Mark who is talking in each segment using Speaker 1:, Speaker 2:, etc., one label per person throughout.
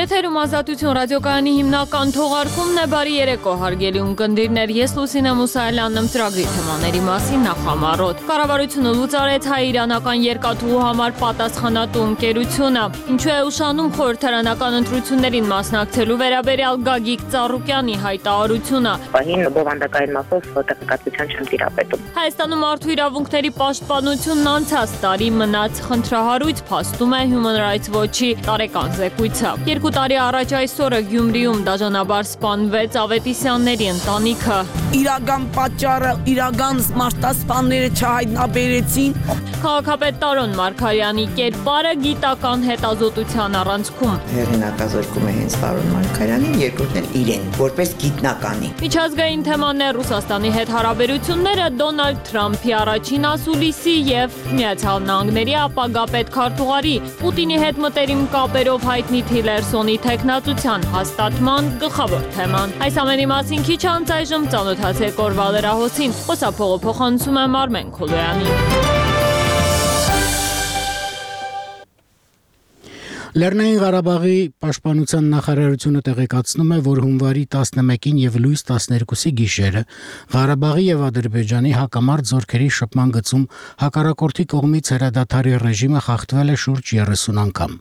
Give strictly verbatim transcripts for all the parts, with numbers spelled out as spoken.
Speaker 1: Եթերում Ազատություն ռադիոկայանի հիմնական թողարկումն է, բարի երեկո հարգելի ունկնդիրներ, ես Լուսինե Մուսայելյանն եմ ծրագրի թեմաների մասին նախամարոտ։ Կառավարությունը լուծարեց հայ-իրանական երկաթուղու համար պատասխանատու ընկերությունը, ինչու է ուշանում խորհրդարանական ընտրություններին մասնակցելու վերաբերյալ Գագիկ Ծառուկյանի հայտարարությունը։
Speaker 2: Պահին բովանդակային մասով տեղեկատվության չեմ տիրապետում։
Speaker 1: Հայաստանում մարդու իրավունքների պաշտպանությունն անցած տարի մնաց խնդրահարույց, փաստում է Human Rights Watch-ի տարեկան զեկույցը։ Երկու տարի առաջ այսօրը Գյումրիում դաժանաբար սպանվեց Ավետիսյանների ընտանիքը։
Speaker 3: Իրական պատճառը, իրական մարտահրավերները չհայտնաբերեցին։
Speaker 1: Քաղաքապետ Տարոն Մարգարյանի կերպարը գիտական հետազոտության առանցքում։
Speaker 4: Հեղինակազրկում է հենց Տարոն Մարգարյանին, երկրորդն էլ իրեն, որպես գիտնականի։
Speaker 1: Միջազգային թեմաներ Ռուսաստանի հետ հարաբերությունները, Դոնալդ Թրամփի առաջին ասուլիսի եւ Միացյալ Նահանգների ապագա պետքարտուղարի, Պուտինի հետ մտերիմ կապերով հայտնի Թիլերսոնի թեկնածության հաստատման գլխավոր թեման։ Այս ամենի մասին քիչ անց այժմ ծանոթացեք օրվա լրահոսին։ Խոսափողը փոխանցում է Մարմեն Քոլոյանին։
Speaker 5: Լեռնային Ղարաբաղի պաշտպանության նախարարությունը տեղեկացնում է, որ հունվարի տասնմեկին եւ լույս տասներկուսի գիշերը Ղարաբաղի եւ Ադրբեջանի հակամարտ զորքերի շփման գծում հակառակորդի կողմից հրադադարի ռեժիմը խախտվել է շուրջ երեսուն անգամ։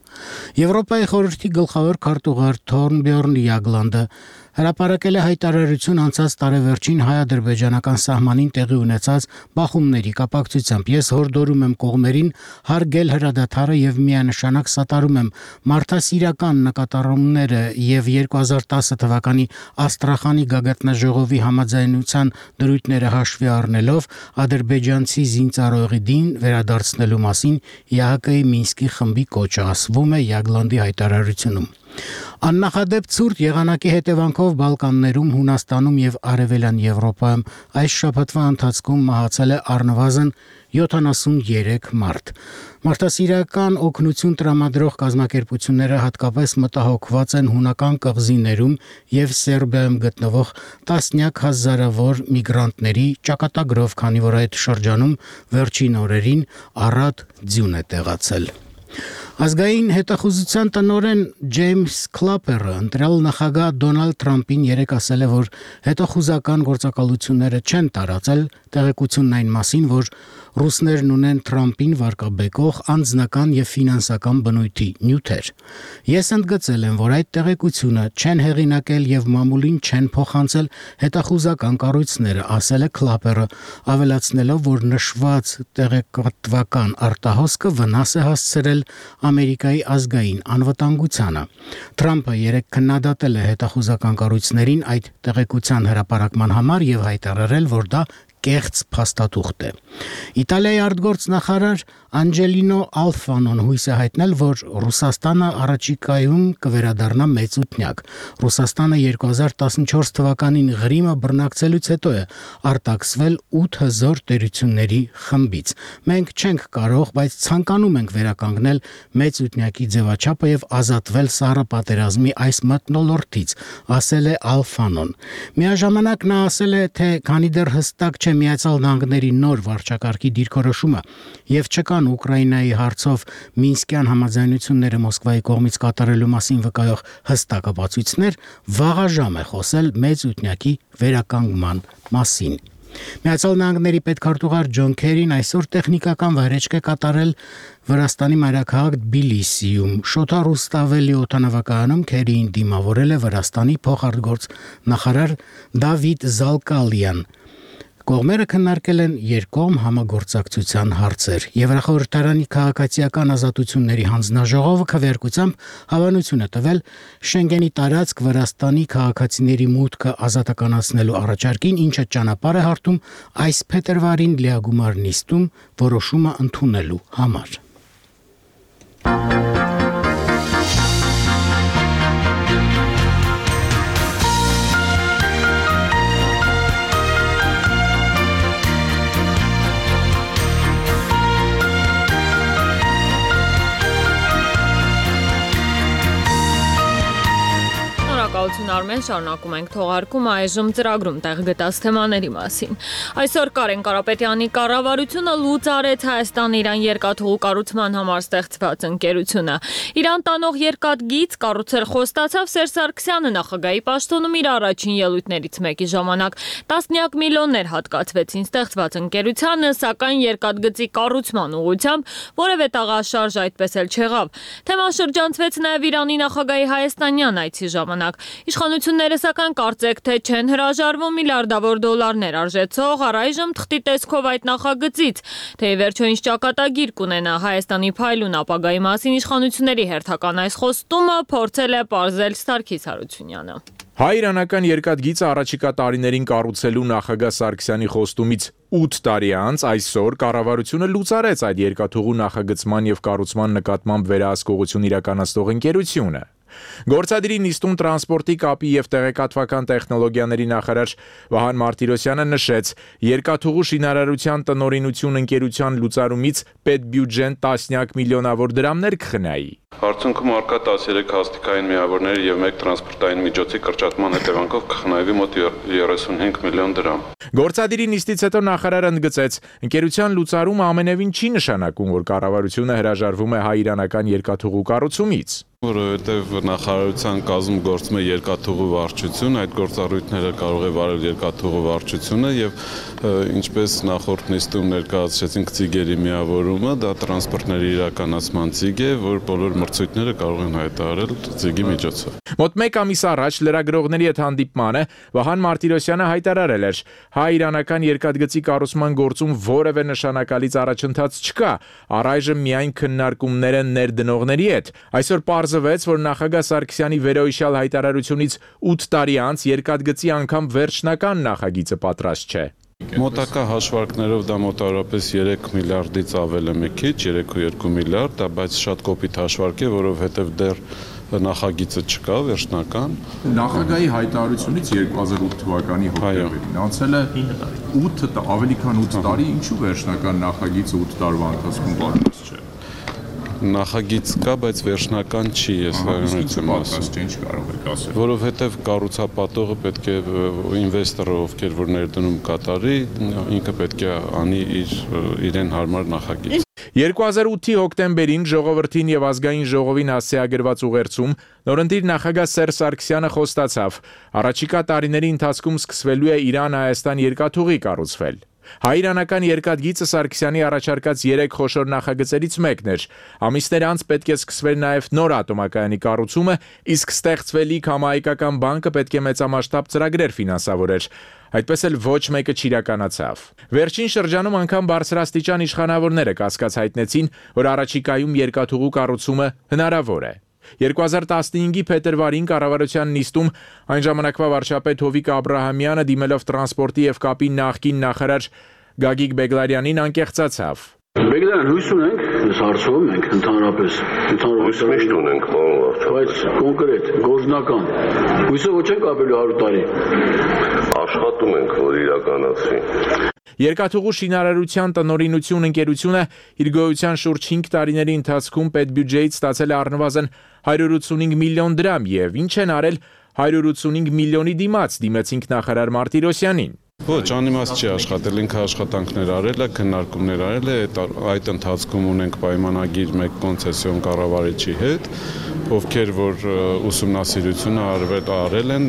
Speaker 5: Եվրոպայի խորհրդի գլխավոր քարտուղար Թորնբյորն Յագլանդը հրապարակել է հայտարարություն անցած տարեվերջին հայ-ադրբեջանական սահմանին տեղի ունեցած բախումների կապակցությամբ։ Ես հորդորում եմ կողմերին հարգել հրադադարը եւ միանշանակ սատարում եմ մարդասիրական նկատառումները եւ երկու հազար տասը թվականի Աստրախանի գագաթնաժողովի համաձայնության դրույթները հաշվի առնելով ադրբեջանցի զինծառայողին վերադարձնելու մասին Է Հ Կ-ի Մինսկի խմբի կոչը, ասվում է Յագլանդի հայտարարությունում։ Աննախադեպ ցուրտ եղանակի հետևանքով Բալկաններում, Հունաստանում եւ Արևելյան Եվրոպայում այս շաբաթվա ընթացքում մահացել է առնվազն յոթանասունյերեք մարդ։ Մարդասիրական օգնություն տրամադրող կազմակերպությունները հատկապես մտահոգված են հունական կղզիներում եւ Սերբիայում գտնվող տասնյակ հազարավոր միգրանտների ճակատագրով, քանի որ այդ շրջանում վերջին օրերին առատ ձյուն է տեղացել։ Ազգային հետախուզության տնօրեն Ջեյմս Քլապերը ընտրյալ նախագահ Դոնալդ Թրամփին երեկ ասել է, որ հետախուզական գործակալությունները չեն տարածել տեղեկությունն այն մասին, որ ռուսներն ունեն Թրամփին վարկաբեկող անձնական եւ ֆինանսական բնույթի նյութեր։ Ես ընդգծել եմ, որ այդ տեղեկությունը չեն հեղինակել եւ մամուլին չեն փոխանցել հետախուզական կառույցները, ասել է Քլապերը, ավելացնելով, որ նշված տեղեկատվական արտահոսքը վնաս է հասցրել Ամերիկայի ազգային անվտանգությանը։ Թրամփը երեկ քննադատել է հետախուզական կառույցներին այդ տեղեկության հրապարակման համար եւ հայտարարել, որ դա կեղծ փաստաթուղթ է։ Իտալիայի արտգործնախարար Անջելինո Ալֆանոն հույս է հայտնել, որ Ռուսաստանը առաջիկայում կվերադառնա մեծութնյակ։ Ռուսաստանը երկու հազար տասնչորս թվականին Ղրիմը բռնակցելուց հետո է արտաքսվել ութ հզոր տերությունների խմբից։ Մենք չենք կարող, բայց ցանկանում ենք վերականգնել մեծութնյակի ձևաչափը եւ ազատվել սառը պատերազմի այս մթնոլորտից, ասել է Ալֆանոն։ Միաժամանակ նա ասել է, թե քանի դեռ հստակ չէ Միացյալ Նահանգների նոր վարչակարգի դիրքորոշումը եւ չկան Ուկրաինայի հարցով Մինսկյան համաձայնությունները Մոսկվայի կողմից կատարելու մասին վկայող հստակ ապացույցներ, վաղաժամ է խոսել մեծութնյակի վերականգնման մասին։ Միացյալ Նահանգների պետքարտուղար Ջոն Քերին այսօր տեխնիկական վայրեջք է կատարել Վրաստանի մայրաքաղաք Թբիլիսիում։ Շոթա Ռուստավելի օդանավակայանում Քերիին դիմավորել է Վրաստանի փոխարտգործ նախարար Դավիթ Զալկալյան։ Կողմերը քննարկել են երկկողմ համագործակցության հարցեր։ Եվրախորհրդարանի քաղաքացիական ազատությունների հանձնաժողովը քվեարկությամբ հավանություն է տվել Շենգենի տարածք Վրաստանի քաղաքացիների մուտքը ազատականացնելու առաջարկին, ինչը ճանապարհ է հարթում այս փետրվարին լիագումար նիստում որոշումը ընդունելու համար։
Speaker 1: Շնորհակալություն Արմեն, շարունակում ենք թողարկումը այժմ ծրագրում տեղ գտած թեմաների մասին։ Այսօր Կարեն Կարապետյանի կառավարությունը լուծ արեց Հայաստան-Իրան երկաթուղու կառուցման համար ստեղծված ընկերությունը։ Իրան տանող երկաթգիծ կառուցել խոստացավ Սերժ Սարգսյանը նախագահի պաշտոնում իր առաջին ելույթներից մեկի ժամանակ։ Տասնյակ միլիոններ հատկացվեցին ստեղծված ընկերությանը, սակայն երկաթգծի կառուցման ուղղությամբ որևէ տաղաշարժ այդպես էլ չեղավ։ Թեման շրջանցվեց նաև Իրանի նախագահի հայաստանյան այցի ժամանակ։ Իշխանությունները սակայն կարծեք թե չեն հրաժարվում միլիարդավոր դոլարներ արժեցող առայժմ թղթի տեսքով այդ նախագծից, թե ի վերջո ինչ ճակատագիր կունենա Հայաստանի փայլուն ապագայի մասին իշխանությունների հերթական այս խոստումը փորձել է պարզել Սարգիս Հարությունյանը։
Speaker 6: Հայ-իրանական երկաթգիծը առաջիկա տարիներին կառուցելու նախագահ Սարգսյանի խոստումից ութ տարի անց այսօր կառավարությունը լուծարեց այդ երկաթուղու նախագծման եւ կառուցման նկատմամբ վերահսկողություն իրականացնող ընկերությունը։ Գործադիրի նիստում տրանսպորտի կապի եւ տեղեկատվական տեխնոլոգիաների նախարար Վահան Մարտիրոսյանը նշեց, երկաթուղու շինարարության տնօրինություն ընկերության լուծարումից պետբյուջեն տասնյակ միլիոնավոր դրամներ կխնայի։
Speaker 7: Արդյունքում արկա տասներեք հաստիկային միավորների եւ մեկ տրանսպորտային միջոցի կրճատման հետևանքով կխնայվի մոտ երեսունհինգ միլիոն դրամ։
Speaker 6: Գործադիրի նիստից հետո նախարարը ընդգծեց, ընկերության լուծարումը ամենևին չի նշանակում, որ կառավարությունը հրաժարվում է հայ-իրանական երկաթուղու կառուցումից։
Speaker 7: Որովհետև նախարարության կազմում գործում է երկաթուղու վարչություն, այդ գործառույթները կարող է վարել երկաթուղու վարչությունը եւ ինչպես նախորդ նիստում ներկայացրեցինք ծիգերի միավորումը, դա տրանսպորտների իրականացման ծիգ է, որ բոլոր մրցույթները կարող են հայտարարել ծիգի միջոցով։
Speaker 6: Մոտ մեկ ամիս առաջ լրագրողների հետ հանդիպմանը Վահան Մարտիրոսյանը հայտարարել էր, հայ-իրանական երկաթգծի կառուցման գործում որևէ նշանակալից առաջընթաց չկա, առայժմ միայն քննարկումներ են ներդնողների հետ։ Այսօր պարզվեց, որ նախագահ Սարգսյանի վերոհիշյալ հայտարարությունից ութ տարի անց երկաթգծի անգամ վերջնական նախագիծը պատրաստ չէ։
Speaker 7: Մոտակա հաշվարկներով դա մոտավորապես երեք միլիարդից ավել է մի քիչ, երեք կόμma երկու միլիարդ, դա բայց շատ կոպիտ հաշվարկ է, որովհետև դեռ նախագիծը չկա վերջնական։
Speaker 8: Նախագահի հայտարարությունից երկու հազար ութ թվականի հոկտեմբերին անցել է ութ ավելի քան ութ տարի, ինչու վերջնական նախագիծը ութ տարվա ընթացքում պատրաստ չէ։
Speaker 7: Նախագիծ կա, բայց վերջնական չի, ես հայտնություն
Speaker 8: պատրաստ ինչ կարող եք ասել։
Speaker 7: Որովհետև կառուցապատողը պետք է ինվեստորը, ովքեր որ ներդնում կատարի, ինքը պետք է անի իր իրեն հարմար նախագիծ։
Speaker 6: երկու հազար ութի հոկտեմբերին ժողովրդին եւ ազգային ժողովին հասցեագրված ուղերձում նորընտիր նախագահ Սերժ Սարգսյանը խոստացավ, առաջիկա տարիների ընթացքում սկսվելու է Իրան-Հայաստան երկաթուղի կառուցվել։ Հայ-իրանական երկաթգիծը Սարգսյանի առաջարկած երեք խոշոր նախագծերից մեկն էր։ Ամիսներ անց պետք է սկսվեր նաև նոր ատոմակայանի կառուցումը, իսկ ստեղծվելիք համահայկական բանկը պետք է մեծամասշտաբ ծրագրեր ֆինանսավորեր։ Այդպես էլ ոչ մեկը չիրականացավ։ Վերջին շրջանում անգամ բարձրաստիճան իշխանավորները կասկած հայտնեցին, որ առաջիկայում երկաթուղու կառուցումը հնարավոր է։ երկու հազար տասնհինգի փետրվարին կառավարության նիստում այն ժամանակվա վարչապետ Հովիկ Աբրահամյանը դիմելով տրանսպորտի եւ կապի նախկին նախարար Գագիկ Բեգլարյանին անկեղծացավ։
Speaker 9: Բեգլարյան, հույս ունենք, ես հարցում ենք ընդհանրապես, ընդհանրապես միշտ ունենք, բայց կոնկրետ, գործնական, հույսը ոչ ենք ապելու հարյուր տարի։ Աշխատում ենք, որ իրականացվի։
Speaker 6: Երկաթուղու շինարարության տնօրինություն ընկերությունը իր գոյության շուրջ հինգ տարիների ընթացքում պետբյուջեից ստացել է առնվազն հարյուր ութսունհինգ միլիոն դրամ եւ ինչ են արել հարյուր ութսունհինգ միլիոնի դիմաց դիմեցինք նախարար Մարտիրոսյանին։
Speaker 7: Ոչ, անիմաստ չի աշխատել, ինքը աշխատանքներ արել է, քննարկումներ արել է, այդ ընթացքում ունենք պայմանագիր մեկ կոնցեսիոն կառավարիչի հետ, ովքեր որ ուսումնասիրությունը արվել արել են,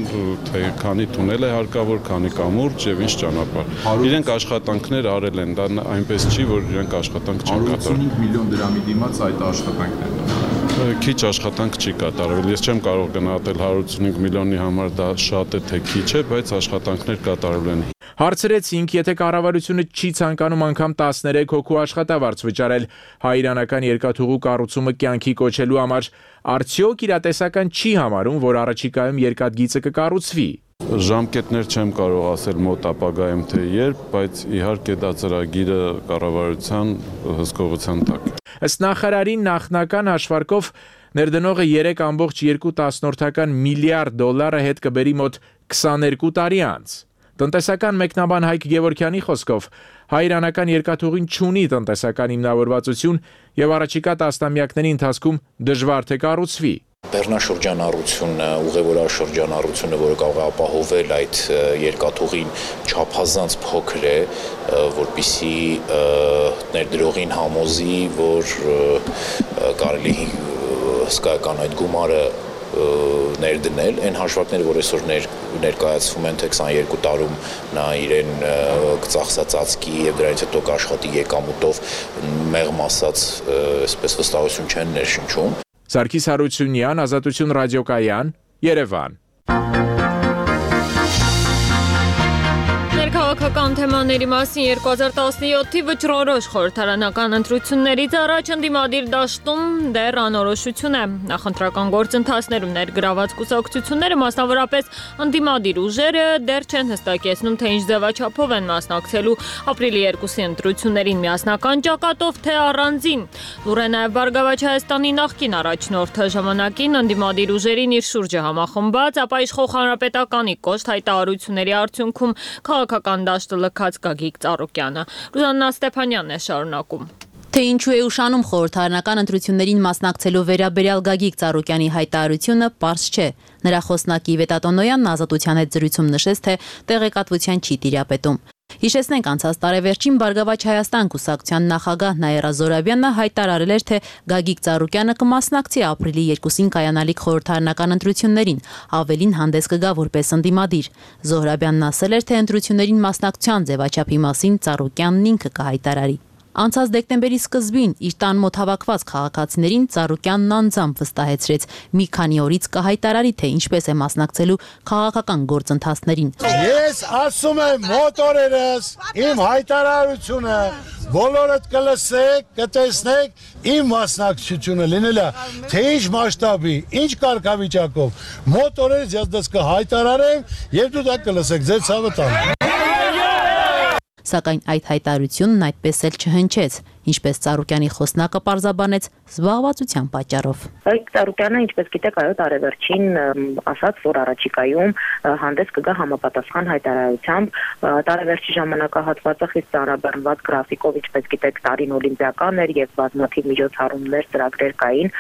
Speaker 7: թե քանի թունել է հարկավոր, քանի կամուրջ եւ ինչ ճանապարհ։ Իրենք աշխատանքներ արել են, դա այնպես չի, որ իրենք աշխատանք չեն կատարել։
Speaker 8: հարյուր ութսունհինգ միլիոն դրամի դիմաց այդ աշխատանքներն
Speaker 7: Քիչ աշխատանք չի կատարվել։ Ես չեմ կարող գնահատել հարյուր ութսունհինգ միլիոնի համար դա շատ է թե քիչ է, բայց աշխատանքներ կատարվել են։
Speaker 6: Հարցրեցինք, եթե կառավարությունը չի ցանկանում անգամ տասներեք հոգու աշխատավարձ վճարել հայ-իրանական երկաթուղու կառուցումը կյանքի կոչելու համար, արդյոք իրատեսական չի համարում, որ առաջիկայում երկաթգիծը կկառուցվի։
Speaker 7: Ժամկետներ չեմ կարող ասել մոտ ապագայում թե երբ, բայց իհարկե դա ծրագիրը կառավարության հսկողության տակ է։
Speaker 6: Ըստ նախարարի նախնական հաշվարկով ներդնողը երեք կόμma երկու միլիարդ դոլարը հետ կբերի մոտ քսաներկու տարի անց։ Տնտեսական մեկնաբան Հայկ Գևորգյանի խոսքով հայ-իրանական երկաթուղին չունի տնտեսական հիմնավորվածություն եւ առաջիկա տասնամյակների ընթացքում դժվար թե կառուցվի։
Speaker 10: բեռնաշրջանառությունը, ուղևորաշրջանառությունը, որը կարող է ապահովել այդ երկաթուղին չափազանց փոքր է, որպեսզի ներդրողին համոզի, որ կարելի հսկայական այդ գումարը ներդնել, այն հաշվարկները, որ այսօր ներկայացվում են, թե քսաներկու տարում նա իրեն կծախսածածկի եւ դրանից հետո կաշխատի եկամուտով մեղմ ասած, այսպես վստահություն չեն ներշնչում։
Speaker 6: Սարգիս Հարությունյան, Ազատություն ռադիոկայան, Երևան։
Speaker 1: Քաղաքական թեմաների մասին երկու հազար տասնյոթի վճռորոշ խորհրդարանական ընտրություններից առաջ ընդդիմադիր դաշտում դեռ անորոշություն է։ Նախընտրական գործընթացներում ներգրաված կուսակցությունները, մասնավորապես ընդդիմադիր ուժերը, դեռ չեն հստակեցնում, թե ինչ ձևաչափով են մասնակցելու ապրիլի երկուսի ընտրություններին միասնական ճակատով, թե առանձին։ Լուր է նաև Բարգավաճ Հայաստանի նախկին առաջնորդը ժամանակին ընդդիմադիր ուժերին իր շուրջը համախմբած, ապա իշխող հանրապետականի կոշտ հայտարարությունների արդյունքում քաղաքական դաշտը լքած Գագիկ Ծառուկյանը։ Ռուզաննա Ստեփանյանն է շարունակում։
Speaker 11: Թե ինչու է ուշանում խորհրդարանական ընտրություններին մասնակցելու վերաբերյալ Գագիկ Ծառուկյանի հայտարարությունը, պարզ չէ։ Նրա խոսնակի Վետա Տոնոյանն Ազատության հետ զրույցում նշեց, թե տեղեկատվության չի տիրապետում։ Հիշեցնենք, անցած տարեվերջին Բարգավաճ Հայաստան կուսակցության նախագահ Նաիրա Զոհրաբյանը հայտարարել էր, թե Գագիկ Ծառուկյանը կմասնակցի ապրիլի երկուսին կայանալիք խորհրդարանական ընտրություններին, ավելին հանդես կգա որպես ընդդիմադիր։ Զոհրաբյանն ասել էր, թե ընտրություններին մասնակցության ձևաչափի մասին Ծառուկյանն ինքը կհայտարարի։ Անցած դեկտեմբերի սկզբին իր տան մոտ հավաքված քաղաքացիներին Ծառուկյանն անձամբ վստահեցրեց մի քանի օրից կհայտարարի, թե ինչպես է մասնակցելու քաղաքական գործընթացներին։
Speaker 12: Ես ասում եմ մոտ օրերս իմ հայտարարությունը բոլորդ կլսեք, կտեսնեք իմ մասնակցությունը լինելա, թե ինչ մասշտաբի, ինչ կարգավիճակով, մոտ օրերս ես դες կհայտարարեմ եւ դու դա կլսեք, ձեր ցավը տան։
Speaker 11: Սակայն այդ հայտարարությունն այդպես էլ չհնչեց, ինչպես Ծառուկյանի խոսնակը պարզաբանեց զբաղվածության պատճառով։
Speaker 2: Այդ Ծառուկյանը, ինչպես գիտեք, այո, տարեվերջին ասաց, որ առաջիկայում հանդես կգա համապատասխան հայտարարությամբ, տարեվերջի ժամանակահատվածը խիստ ծանրաբեռնված գրաֆիկով, ինչպես գիտեք, տարին օլիմպիական էր եւ բազմաթիվ միջոցառումներ, ծրագրեր կային,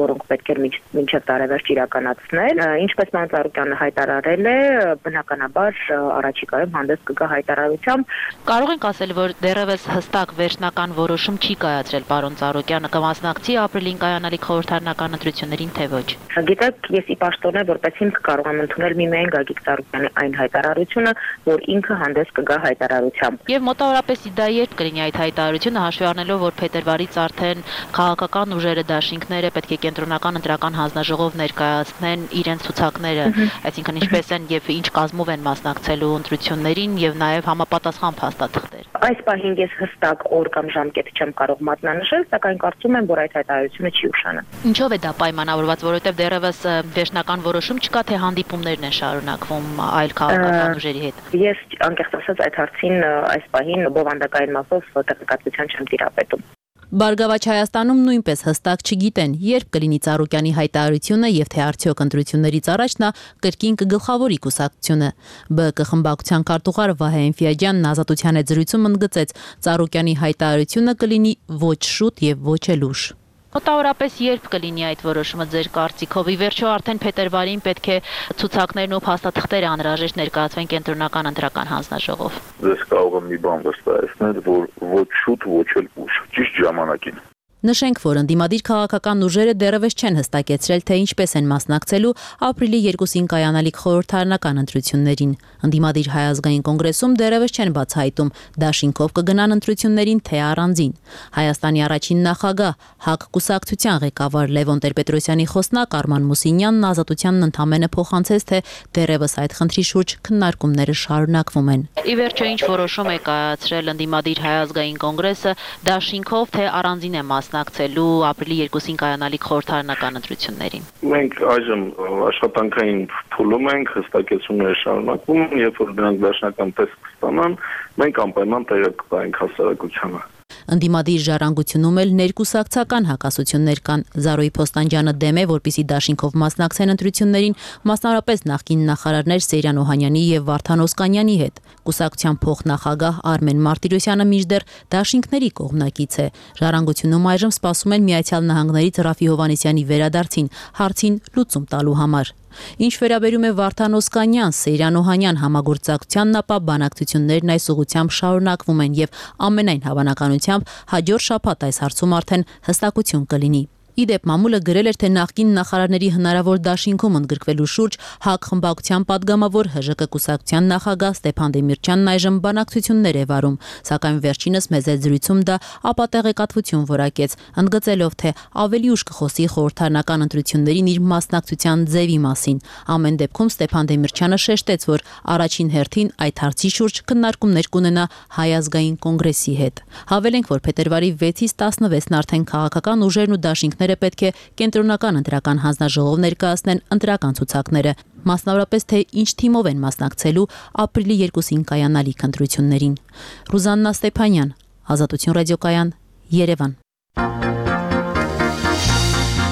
Speaker 2: որոնք պետք էր մինչև տարեվերջ իրականացնել։ Ինչպես ման Ծառուկյանը հայտարարել է, բնականաբար առաջիկայում հանդես կգա հայտարարությամբ։
Speaker 11: Կարող ենք ասել, որ դեռևս հստակ վերջնական որոշում չի կայացրել պարոն Ծառուկյանը կմասնակցի ապրիլին կայանալիք խորհրդարանական ընտրություններին, թե ոչ։
Speaker 2: Գիտեք, ես ի պաշտոնե որպես հիմք կարող եմ ընդունել միմիայն Գագիկ Ծառուկյանի այն հայտարարությունը, որ ինքը հանդես կգա հայտարարությամբ։
Speaker 11: Եվ մոտավորապես դա երբ կլինի այդ հայտարարությունը, հաշվի առնելով, որ փետրվարից արդեն քաղաքական ուժերը, դաշինքները պետք է կենտրոնական ընտրական հանձնաժողով ներկայացնեն իրենց ցուցակները, այսինքն ինչպես են եւ ինչ կազմով են մասնակցելու ընտրություններին եւ նաեւ համապատասխան փաստաթղթեր։
Speaker 2: Այս պահին ես հստակ օր կամ ժամկետ չեմ կարող մատնանշել, սակայն կարծում եմ, որ այդ հայտարարությունը չի ուշանա։
Speaker 11: Ինչով է դա պայմանավորված, որովհետև դեռևս վերջնական որոշում չկա, թե հանդիպումներն են շարունակվում այլ քաղաքական ուժերի հետ։
Speaker 2: Ես անկեղծ ասած այդ հարցին այս պահին բովանդակային մասով տեղեկատվության չեմ տիրապետում։
Speaker 11: Բարգավաճ Հայաստանում նույնպես հստակ չգիտեն, երբ կլինի Ծառուկյանի հայտարարությունը եւ թե արդյոք ընտրություններից առաջ նա կրկին կգլխավորի կուսակցությունը։ ԲԿ խմբակցության քարտուղար Վահե Էնֆիաջյանն Ազատության հետ զրույցում ընդգծեց, Ծառուկյանի հայտարարությունը կլինի ոչ շուտ եւ ոչ էլ ուշ։ Մոտավորապես երբ կլինի այդ որոշումը ձեր կարծիքով։ Ի վերջո արդեն փետրվարին պետք է ցուցակներն ու փաստաթղթերը անհրաժեշտ ներկայացվեն կենտրոնական ընտրական հանձնաժողով։
Speaker 9: Ես կարող եմ մի բան վստահեցնել, որ ոչ շուտ, ոչ էլ ուշ, ճիշտ ժամանակին։
Speaker 11: Նշենք, որ ընդդիմադիր քաղաքական ուժերը դեռևս չեն հստակեցրել, թե ինչպես են մասնակցելու ապրիլի երկուսին կայանալիք խորհրդարանական ընտրություններին։ Ընդդիմադիր Հայ ազգային կոնգրեսում դեռևս չեն բացահայտում դաշինքով կգնան ընտրություններին, թե առանձին։ Հայաստանի առաջին նախագահ ՀԱԿ կուսակցության ղեկավար Լևոն Տեր-Պետրոսյանի խոսնակ Արման Մուսինյանն Ազատությանն ընդամենը փոխանցեց, թե դեռևս այդ խնդրի շուրջ քննարկումները շարունակվում են։ Ի վերջո ինչ որոշում է կայացրել ընդդիմադիր Հայ ազգային կոնգրեսը դաշինքով, թե առանձին է մասնակցելու ապրիլի երկուսին կայանալիք խորհրդարանական ընտրություններին։
Speaker 9: Մենք այժմ աշխատանքային փուլում ենք, հստակեցումները շարունակվում են, երբ որ դրանք դաշնական տեսք կստանան, մենք անպայման տեղեկ կտանենք հասարակությանը։
Speaker 11: Ընդդիմադիր ժառանգությունում էլ ներկուսակցական հակասություններ կան։ Զարոյի Փոստանջյանը դեմ է, որպեսզի դաշինքով մասնակցեն ընտրություններին, մասնավորապես նախկին նախարարներ Սեյրան Օհանյանի եւ Վարդան Օսկանյանի հետ։ Կուսակցության փոխնախագահ Արմեն Մարտիրոսյանը մինչդեռ դաշինքների կողմնակից է։ Ժառանգությունում այժմ սպասում են Միացյալ Նահանգներից Ռաֆի Հովհաննիսյանի վերադարձին, հարցին լուծում տալու համար։ Ինչ վերաբերում է Վարդան Օսկանյան, Սեյրան Օհանյան համագործակցությանն, ապա բանակցություններն այս ուղղությամբ շարունակվում են եւ ամենայն հավանականությամբ հաջորդ շաբաթ այս հարցում արդեն հստակություն կլինի։ Իդեպ մամուլը գրել էր, թե նախկին նախարարների հնարավոր դաշինքում ընդգրկվելու շուրջ ՀԱԿ խմբակցության падգամավոր ՀԺԿ կուսակցության նախագահ Ստեփան Դեմիրճյանն այժմ բանակցություններ է վարում, սակայն վերջինս մեծ զրույցում դա ապատեղեկատվություն որակեց, ընդգծելով, թե ավելի ուշ կխոսի խորհրդարանական ընտրություններին իր մասնակցության ձևի մասին։ Ամեն դեպքում Ստեփան Դեմիրճյանը շեշտեց, որ առաջին հերթին այդ հարցի շուրջ քննարկումներ կունենա Հայ ազգային կոնգրեսի հետ։ Հավելենք, որ փետրվարի վեցից տասնվեցն արդեն քաղաքական ուժերն ու դաշինքները պետք է կենտրոնական ընտրական հանձնաժողով ներկայացնեն ընտրական ցուցակները, մասնավորապես թե ինչ թիմով են մասնակցելու ապրիլի երկուսին կայանալիք ընտրություններին։ Ռուզաննա Ստեփանյան, Ազատություն ռադիոկայան, Երևան։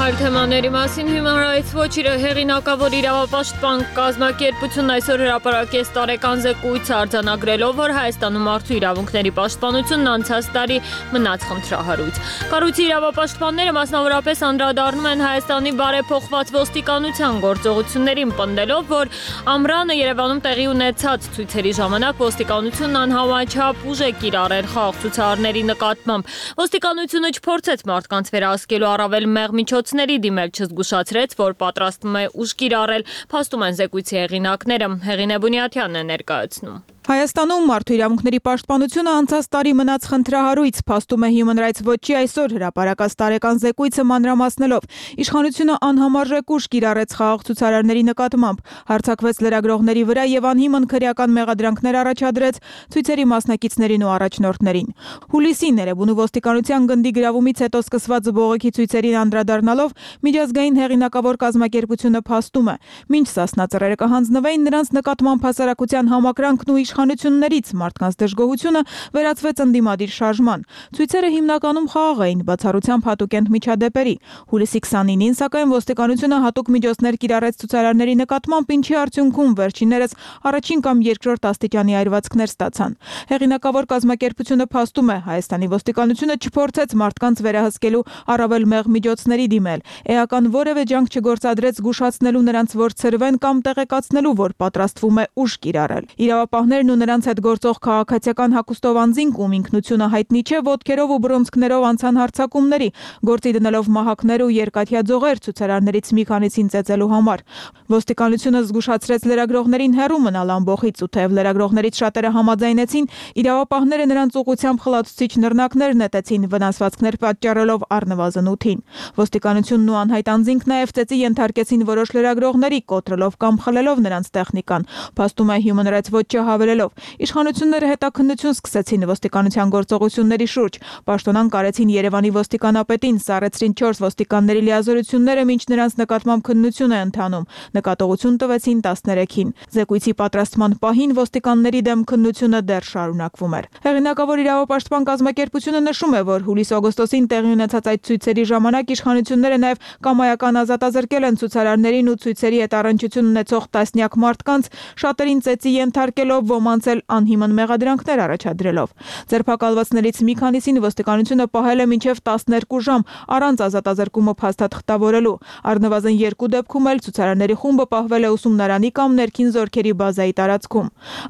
Speaker 1: Այլ թեմաների մասին Human Rights Watch-ը հեղինակավոր իրավապաշտպան կազմակերպությունն այսօր հրապարակեց տարեկան զեկույց արձանագրելով, որ Հայաստանում մարդու իրավունքների պաշտպանությունն անցած տարի մնաց խնդրահարույց։ Կառույցի իրավապաշտպանները մասնավորապես անդրադառնում են Հայաստանի բարեփոխված ոստիկանության գործողություններին, պնդելով, որ ամռանը Երևանում տեղի ունեցած ցույցերի ժամանակ ոստիկանությունն անհամաչափ ուժ է կիրառել խաղաղ ցուցարարների նկատմամբ։ Ոստիկանությունը չփորձեց մարդկանց վերահսկելու առավել մեղ միջոցների դիմել, չզգուշացրեց, որ պատրաստվում է ուժ կիրառել, փաստում են զեկույցի հեղինակները։ Հեղինե Բունյաթյանն է ներկայացնում։
Speaker 13: Հայաստանում մարդու իրավունքների պաշտպանությունը անցած տարի մնաց խնդրահարույց, փաստում է Human Rights Watch-ի այսօր հրապարակած տարեկան զեկույցը մանրամասնելով։ Իշխանությունը անհամարժեք ուժ կիրառեց խաղաղ ցուցարարների նկատմամբ, հարձակվեց լրագրողների վրա եւ անհիմն քրեական մեղադրանքներ առաջադրեց ցույցերի մասնակիցներին ու առաջնորդներին։ Հուլիսին Էրեբունու ոստիկանության գնդի գրավումից հետո սկսված բողոքի ցույցերին անդրադառնալով միջազգային հեղինակավոր կազմակերպությունը փաստում է, մինչ Սասնա ծռերը կհանձնվեին, նրանց նկատմամբ հասարակության համակրանքն ու իշխանություններից մարդկանց դժգոհությունը վերածվեց ընդդիմադիր շարժման։ Ցույցերը հիմնականում խաղաղ էին, բացառությամբ հատուկենտ միջադեպերի։ Հուլիսի քսանինին, սակայն ոստիկանությունը հատուկ միջոցներ կիրառեց ցուցարարների նկատմամբ, ինչի արդյունքում վերջիններս առաջին կամ երկրորդ աստիճանի այրվածքներ ստացան։ Հեղինակավոր կազմակերպությունը փաստում է, Հայաստանի ոստիկանությունը չփորձեց մարդկանց վերահսկելու առավել մեղ միջոցների դիմել, էական որևէ ջանք չգործադրեց զգուշացնելու նրանց, որ ցրվեն կամ տեղեկացնելու, որ պատրաստվում է ուժ կիրառել։ Իրավապահներն ու նրանց հետ գործող քաղաքացիական հագուստով անձինք, ում ինքնությունը հայտնի չէ, ոտքերով ու բռունցքներով անցան հարձակումների, գործի դնելով մահակներ ու երկաթյա ձողեր ցուցարարներից մի քանիսին ծեծելու համար։ Ոստիկանությունը զգուշացրեց լրագրողներին հեռու մնալ ամբողից, ու թեև լրագրողներից շատերը համաձայնեցին, իրավապահները նրանց ուղղությամբ խլացուցիչ նռնակներ նետեցին, վնասվածքներ պատճառելով առնվազն ութին։ Ոստիկանությունն ու անհայտ անձինք նաև ծեծի ենթարկեցին որոշ լրագրողների, կոտրելով կամ խլելով նրանց տեխնիկան։ Փաստում է Human Rights Watch-ը հավելելով. իշխանությունները հետաքննություն սկսեցին ոստիկանության գործողությունների շուրջ, պաշտոնան կարեցին Երևանի ոստիկանապետին, սառեցրին չորս ոստիկանների լիազորությունները, մինչ նրանց նկատմամբ քննություն է ընթանում, նկատողություն տվեցին տասներեքին։ Զեկույցի պատրաստման պահին ոստիկանների դեմ քննությունը դեռ շարունակվում էր։ Հեղինակավոր իրավապաշտպան կազմակերպությունը նշում է, որ հուլիս-օգոստոսին տեղի ունեցած այդ ցույցերի ժամանակ իշխանությունները նաև կամայական ազատազրկել են ցուցարարներին ու ցույցերի հետ առնչություն ունեցող տասնյակ մարդկանց, շատերին ծեծի ենթարկելով, ոմանց էլ անհիմն մեղադրանքներ առաջադրելով։ Ձերբակալվածներից մի քանիսին ոստիկանությունը պահել է մինչև տասներկու ժամ առանց ազատազրկումը փաստաթղթավորելու։ Առնվազն երկու դեպքում էլ ցուցարարների խումբը պահվել է ուսումնարանի կամ ներքին զորքերի բազայի տարածքում։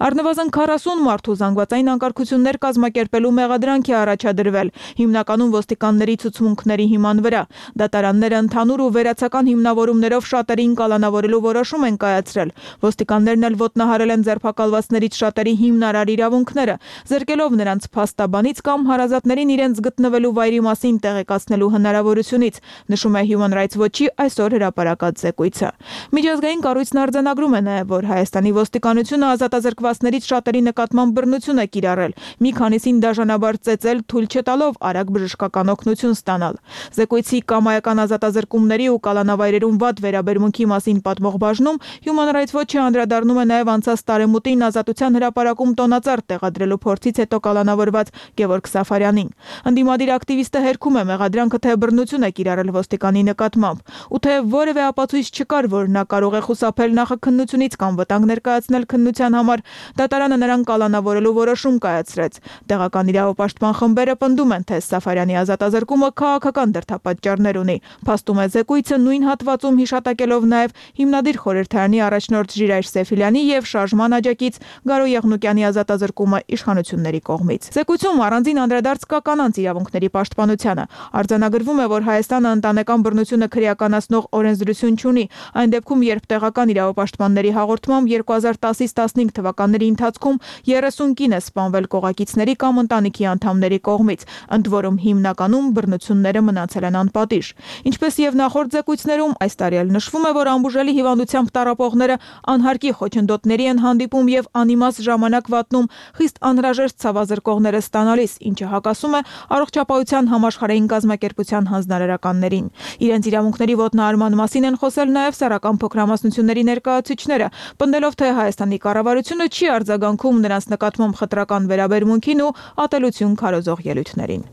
Speaker 13: Առնվազն քառասուն մարդու զանգվածային անկարգություններ կազմակերպելու մեղադրանք է առաջադրվել, հիմնականում ոստիկանների ցուցմունքների հիման վրա։ Դատարանները ընդհանուր ու վերացական հիմնավորումներով շատերին կալանավորելու որոշում են կայացրել։ Ոստիկաններն էլ ոտնահարել են ձերբակալվածներից շատերի հիմնարար իրավունքները, զրկելով նրանց փաստաբանից կամ հարազատներին իրենց գտնվելու վայրի մասին տեղեկացնելու հնարավորությունից, նշում է Human Rights Watch-ի այսօր հրապարակած զեկույցը։ Միջազգային կառույցն արձանագրում է նաև, որ Հայաստանի ոստիկանությունը ազատազրկվածներից շատերի նկատմամբ բռնություն է կիրառել, մի քանիսին դաժանաբար ծեծել, թույլ չտալով արագ բժշկական օգնություն ստանալ։ Զեկույցի կամայական ազատազրկումների ու կալանավայրերում վատ վերաբերմունքի մասին պատմող բաժնում Human Rights Watch-ը անդրադառնում է նաև անցած տարեմուտին ազատության Հանրապետության հրապարակում տոնածառ տեղադրելու փորձից հետո կալանավորված Գևորգ Սաֆարյանին։ Ընդդիմադիր ակտիվիստը հերքում է մեղադրանքը, թե բռնություն է կիրառել ոստիկանի նկատմամբ, ու թե որևէ ապացույց չկար, որ նա կարող է խուսափել նախաքննությունից կամ վտանգ ներկայացնել քննության համար, դատարանը նրան կալանավորելու որոշում կայացրեց։ Տեղական իրավապաշտպան խմբերը պնդում են, թե Սաֆարյանի ազատազրկումը քաղաքական դրդապատճառներ ունի։ Փաստում է զեկույցը նույն հատվածում հիշատակելով նաև հիմնադիր խորհրդարանի առաջնորդ Ժիրայր Սեֆիլյանի եւ շարժման աջակից Գարո Եղնուկյանի ազատազրկումը իշխանությունների կողմից։ Զեկույցում առանձին անդրադարձ կա կանանց իրավունքների պաշտպանությանը։ Արձանագրվում է, որ Հայաստանը ընտանեկան բռնությունը քրեականացնող օրենսդրություն չունի, այն դեպքում, երբ տեղական իրավապաշտպանների հաղորդմամբ երկու հազար տասից տասնհինգ թվականների ընթացքում երեսուն կին է սպանվել կողակիցների կամ ընտանիքի անդամների կողմից, ընդ որում հիմնականում բռնությունները մնացել են անպատիժ։ Ինչպես եւ նախորդ զեկույցներում, այս տարի էլ նշվում է, որ ամբուժելի հիվանդությամբ տառապողները անհարկի խոչընդոտների են հանդիպում եւ անիմաստ ժամանակ վատնում խիստ անհրաժեշտ ցավազրկողները ստանալիս, ինչը հակասում է առողջապահության համաշխարհային կազմակերպության հանձնարարականներին։ Իրենց իրավունքների ոտնահարման մասին են խոսել նաեւ Սեռական փոքրամասնությունների ներկայացուցիչները, պնդելով, թե Հայաստանի կառավարությունը չի արձագանքում նրանց նկատմամբ խտրական վերաբերմունքին ու ատելություն քարոզող ելույթներին։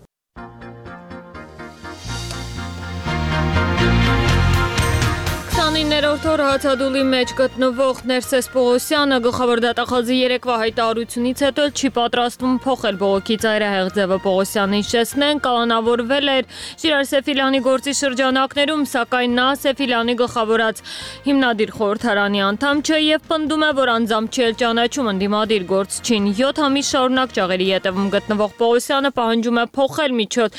Speaker 1: քսանիններորդ օր հացադուլի մեջ գտնվող Ներսես Պողոսյանը գլխավոր դատախազի երեկվա հայտարարությունից հետո չի պատրաստվում փոխել բողոքի ծայրահեղ ձևը։ Պողոսյանը հիշեցնեն, կալանավորվել էր Ժիրայր Սեֆիլյանի գործի շրջանակներում, սակայն նա Սեֆիլյանի գլխավորած հիմնադիր խորհրդարանի անդամ չէ եւ պնդում է, որ անձամբ չի ճանաչում ընդդիմադիր գործչին։ յոթ ամիս շարունակ ճաղերի ետևում գտնվող Պողոսյանը պահանջում է փոխել միջոց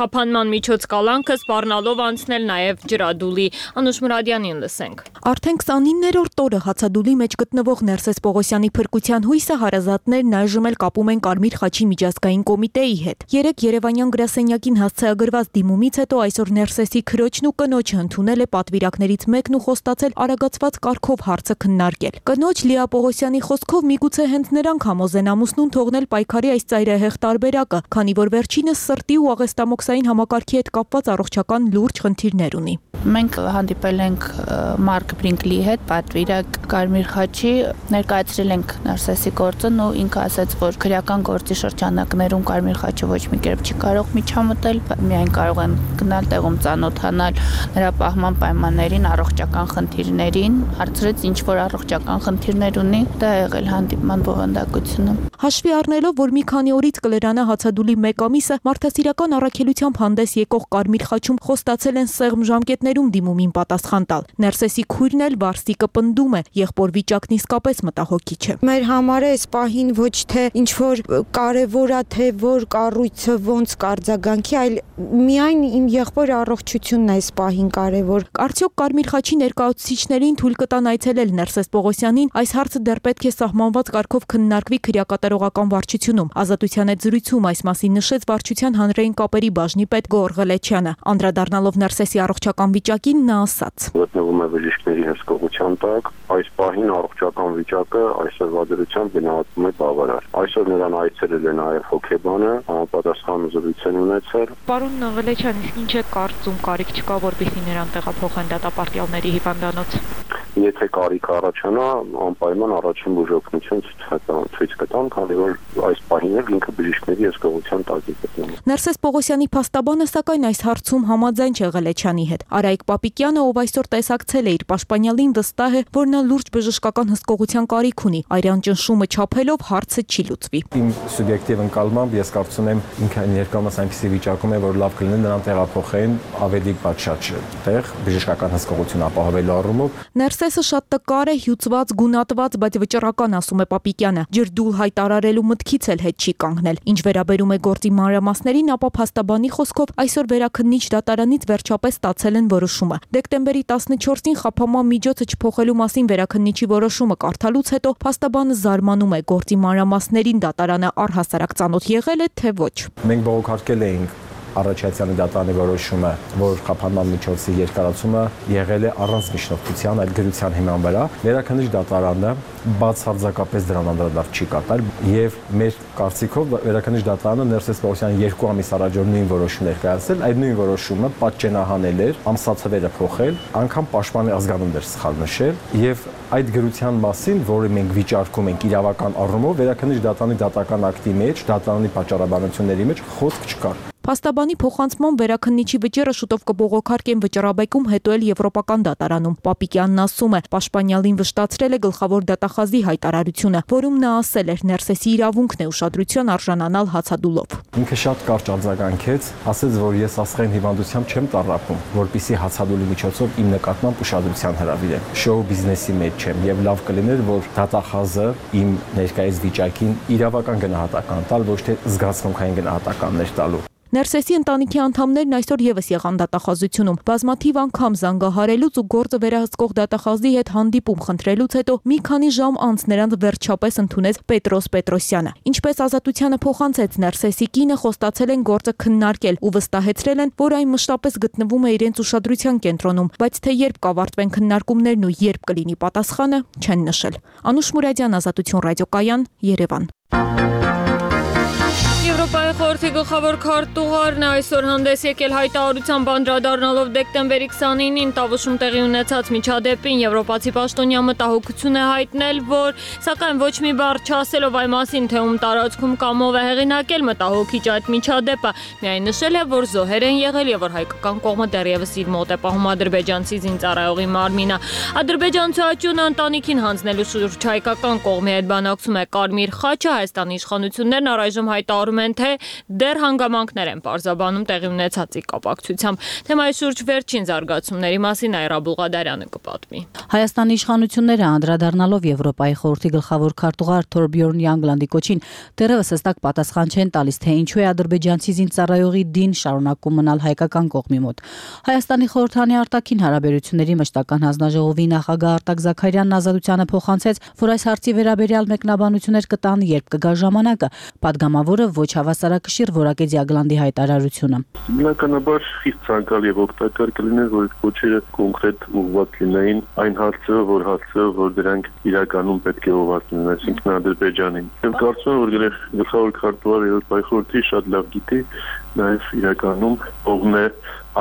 Speaker 1: խափանման միջոց կալանքը, սպառնալով անցնել նաեւ ջրադուլի։ Անուշ Մուրադյանին լսենք։
Speaker 14: Արդեն քսանիններորդ օրը հացադուլի մեջ գտնվող Ներսես Պողոսյանի փրկության հույսը հարազատներն այժմ էլ կապում են Կարմիր խաչի միջազգային կոմիտեի հետ։ Երեք երևանյան գրասենյակին հասցեագրված դիմումից հետո այսօր Ներսեսի քրոջն ու կնոջը ընդունել է պատվիրակներից մեկն ու խոստացել արագացված կարգով հարցը քննարկել։ Կնոջ Լիա Պողոսյանի խոսքով միգուցե հենց նրանք համոզեն ամուսնուն թողնել պայքարի այս ծայրահեղ տարբերակը, քանի որ վերջինս սրտի ու աղեստամոքսային համակարգի հետ կապված առողջական լուրջ խնդիրներ ունի։
Speaker 15: Մենք հանդիպել ենք Մարկ Բրինկլի հետ, պատվիրակ Կարմիր խաչի, ներկայացրել ենք Ներսեսի գործն ու ինքը ասաց, որ քրեական գործի շրջանակներում Կարմիր խաչը ոչ մի կերպ չի կարող միջամտել, միայն կարող են գնալ տեղում ծանոթանալ նրա պահման պայմաններին, առողջական խնդիրներին, հարցրեց ինչ որ առողջական խնդիրներ ունի, դա ա եղել հանդիպման բովանդակությունը։
Speaker 14: Հաշվի առնելով, որ մի քանի օրից կլրանա հացադուլի մեկ ամիսը, մարդասիրական առաքելությամբ հանդես եկող Կարմիր խաչում խոստացել են սեղմ ժամկետներում դիմումին պատասխան տալ։ Ներսեսի քույրն էլ Վարսիկը պնդում է, եղբոր վիճակն իսկապես մտահոգիչ է։
Speaker 16: Մեր համար է այս պահին ոչ թե ինչ որ կարևոր է, թե որ կառույցը ոնց կարձագանքի, այլ միայն իմ եղբոր առողջությունն է այս պահին կարևոր։
Speaker 14: Արդյոք Կարմիր խաչի ներկայացուցիչներին թույլ կտան այցելել Ներսես Պողոսյանին, այս հարցը դեռ պետք է սահմանված կարգով քննարկվի քրեակատարողական վարչությունում։ Ազատության հետ զրույցում այս մասին նշեց վարչության հանրային կապերի բաժնի պետ Գոռ Ղլեչյանը։ Անդրադառնալով Ներսեսի առողջական վիճակին նա ասաց.
Speaker 17: Գտնվում է բժիշկների հսկողության տակ, այս պահին առողջական վիճակը այսօրվա դրությամբ գնահատվում է բավարար։ Այսօր նրան այցելել է նաև հոգեբանը, համապատասխան զրույց են ունեցել։
Speaker 13: Պարոն Ղլեչյան, իսկ ինչ է կարծում, կարիք չկա, որպեսզի նրան տեղափոխեն դատապարտյալների հիվանդանոց։
Speaker 17: Եթե կարիք առաջանա, անպայման առաջին բուժօգնություն ցույց կտան, քանի որ այս պահին էլ ինքը բժիշկների հսկողության տակ է գտնվում։
Speaker 14: Ներսես Պողոսյանի փաստաբանը սակայն այս հարցում համաձայն չէ Ղլեչյանի հետ։ Արայիկ Պապիկյանը, ով այսօր տեսակցել է իր պաշտպանյալին, վստահ է, որ նա լուրջ բժշկական հսկողության կարիք ունի։ Այրան ճնշումը չափելով հարցը չի լուծվի։
Speaker 18: Իմ սուբյեկտիվ ընկալմամբ ես կարծում եմ ինքը ներկայումս այնպիսի վիճակում է, որ լավ կլինի նրան տեղափոխեն ավելի պատշաճ տեղ բժշկական հսկողություն ապահովելու առումով։
Speaker 14: Ներսեսը շատ տկար է, հյուծված, գունատված, բայց վճռական, ասում է Պապիկյանը։ Ջրդուլ հայտարարելու մտքից էլ հետ չի կանգնել։ Ինչ վերաբերում է գործի մանրամասներին, ապա փաստաբանի խոսքով այսօր վերաքննիչ դատարանից վերջապես ստացել են որոշումը։ Դեկտեմբերի տասնչորսին խափանման միջոցը չփոխելու մասին վերաքննիչի որոշումը կարդալուց հետո փաստաբանը զարմանում է, գործի մանրամասներին դատարանը առհասարակ ծանոթ եղել է, թե ոչ։
Speaker 18: Մենք բողոքարկել էինք Արաչյացյանի դատարանի որոշումը, որ խափանման միջոցի երկարացումը եղել է առանց միջնորդության, այլ գրության հիման վրա, Վերաքննիչ դատարանը բացարձակապես դրան անդրադարձ չի կատարել եւ մեր կարծիքով Վերաքննիչ դատարանը Ներսես Պողոսյանի երկու ամիս առաջ նույն որոշում ներկայացրել, այդ նույն որոշումը պատճենահանել էր, ամսաթվերը փոխել, անգամ պաշտպանի ազգանունն էր սխալ նշել եւ այդ գրության մասին, որը մենք վիճարկում ենք իրավական առումով, Վերաքննիչ դատարանի դատական ակտի մեջ, դատարանի պատճառաբանությունների մեջ խոսք չկար։
Speaker 14: Փաստաբանի փոխանցման վերաքննիչի վճիռը շուտով կբողոքարկեն վճռաբեկում, հետո էլ Եվրոպական դատարանում։ Պապիկյանն ասում է, Պաշտպանյալին վշտացրել է գլխավոր դատախազի հայտարարությունը, որում նա ասել էր Ներսեսի իրավունքն է ուշադրության արժանանալ հացադուլով։
Speaker 18: Ինքը շատ կարճ արձագանքեց, ասեց, որ ես աստղային հիվանդությամբ չեմ տառապում, որպեսզի հացադուլի միջոցով իմ նկատմամբ ուշադրության հրավիրեմ։ Շոու բիզնեսի մեջ չեմ եւ լավ կլիներ, որ դատախազը իմ ներկայիս վիճակին իրավական գնահատական տալ, ոչ թե զգացմունքային գնահատականներ տալու։
Speaker 14: Ներսեսի ընտանիքի անդամներն այսօր եւս եղան դատախազությունում։ Բազմաթիվ անգամ զանգահարելուց ու գործը վերահսկող դատախազի հետ հանդիպում խնդրելուց հետո մի քանի ժամ անց նրանց վերջապես ընդունեց Պետրոս Պետրոսյանը։ Ինչպես Ազատությանը փոխանցեց, Ներսեսի կինը խոստացել են գործը քննարկել ու վստահեցրել են, որ այն մշտապես գտնվում է իրենց ուշադրության կենտրոնում, բայց թե երբ կավարտվեն քննարկումներն ու երբ կլինի պատասխանը, չեն նշել։ Անուշ Մուրադյան, Ազատություն ռադիոկայան, Երևան։
Speaker 1: Եվրոպայի խորհրդի գլխավոր քարտուղարն այսօր հանդես եկել հայտարարությամբ անդրադառնալով դեկտեմբերի քսանինին Տավուշում տեղի ունեցած միջադեպին, եվրոպացի պաշտոնյա մտահոգություն է հայտնել, որ սակայն ոչ մի բառ չասելով այն մասին, թե ում տարածքում կամ ով է հեղինակել մտահոգիչ այդ միջադեպը, միայն նշել է, որ զոհեր են եղել եւ որ հայկական կողմը դեռևս իր մոտ է պահում ադրբեջանցի զինծառայողի մարմինը։ Ադրբեջանցու աճյունը ընտանիքին հանձնելու շուրջ հայկական կողմի հետ բանակցում է Կարմիր խաչը, Հայաստանի իշխանություններն առայժմ հայտարարում են, թե դեռ հանգամանքներ են պարզաբանում տեղի ունեցածի կապակցությամբ։ Թեմայի շուրջ վերջին զարգացումների մասին Այրա Բուղադարյանը կպատմի։
Speaker 11: Հայաստանի իշխանությունները անդրադառնալով Եվրոպայի խորհրդի գլխավոր քարտուղար Թորբյորն Յանգլանդի կոչին դեռևս հստակ պատասխան չեն տալիս, թե ինչու է ադրբեջանցի զինծառայողի դին շարունակում մնալ հայկական կողմի մոտ։ Հայաստանի խորհրդանի արտաքին հարաբերությունների մշտական հանձնաժողովի նախագահ Արտակ Զաքարյանն Ազատությանը փոխանցեց, որ այս հարցի վերաբերյալ մեկնաբանություններ կտան, երբ կգա ժամանակը։ Պատգամավորը ոչ հավասարակշիռ որակեց Յագլանդի հայտարարությունը։
Speaker 17: Բնականաբար խիստ ցանկալի եւ օգտակար կլիներ, որ այդ կոչերը կոնկրետ ուղղված լինեին այն հարցը, որ հարցը, որ դրանք իրականում պետք է ուղղված լինեն, այսինքն Ադրբեջանին։ Եմ կարծում եմ, որ գլխավոր քարտուղարը Եվրոպայի խորհրդի շատ լավ գիտի, նաեւ իրականում ողն է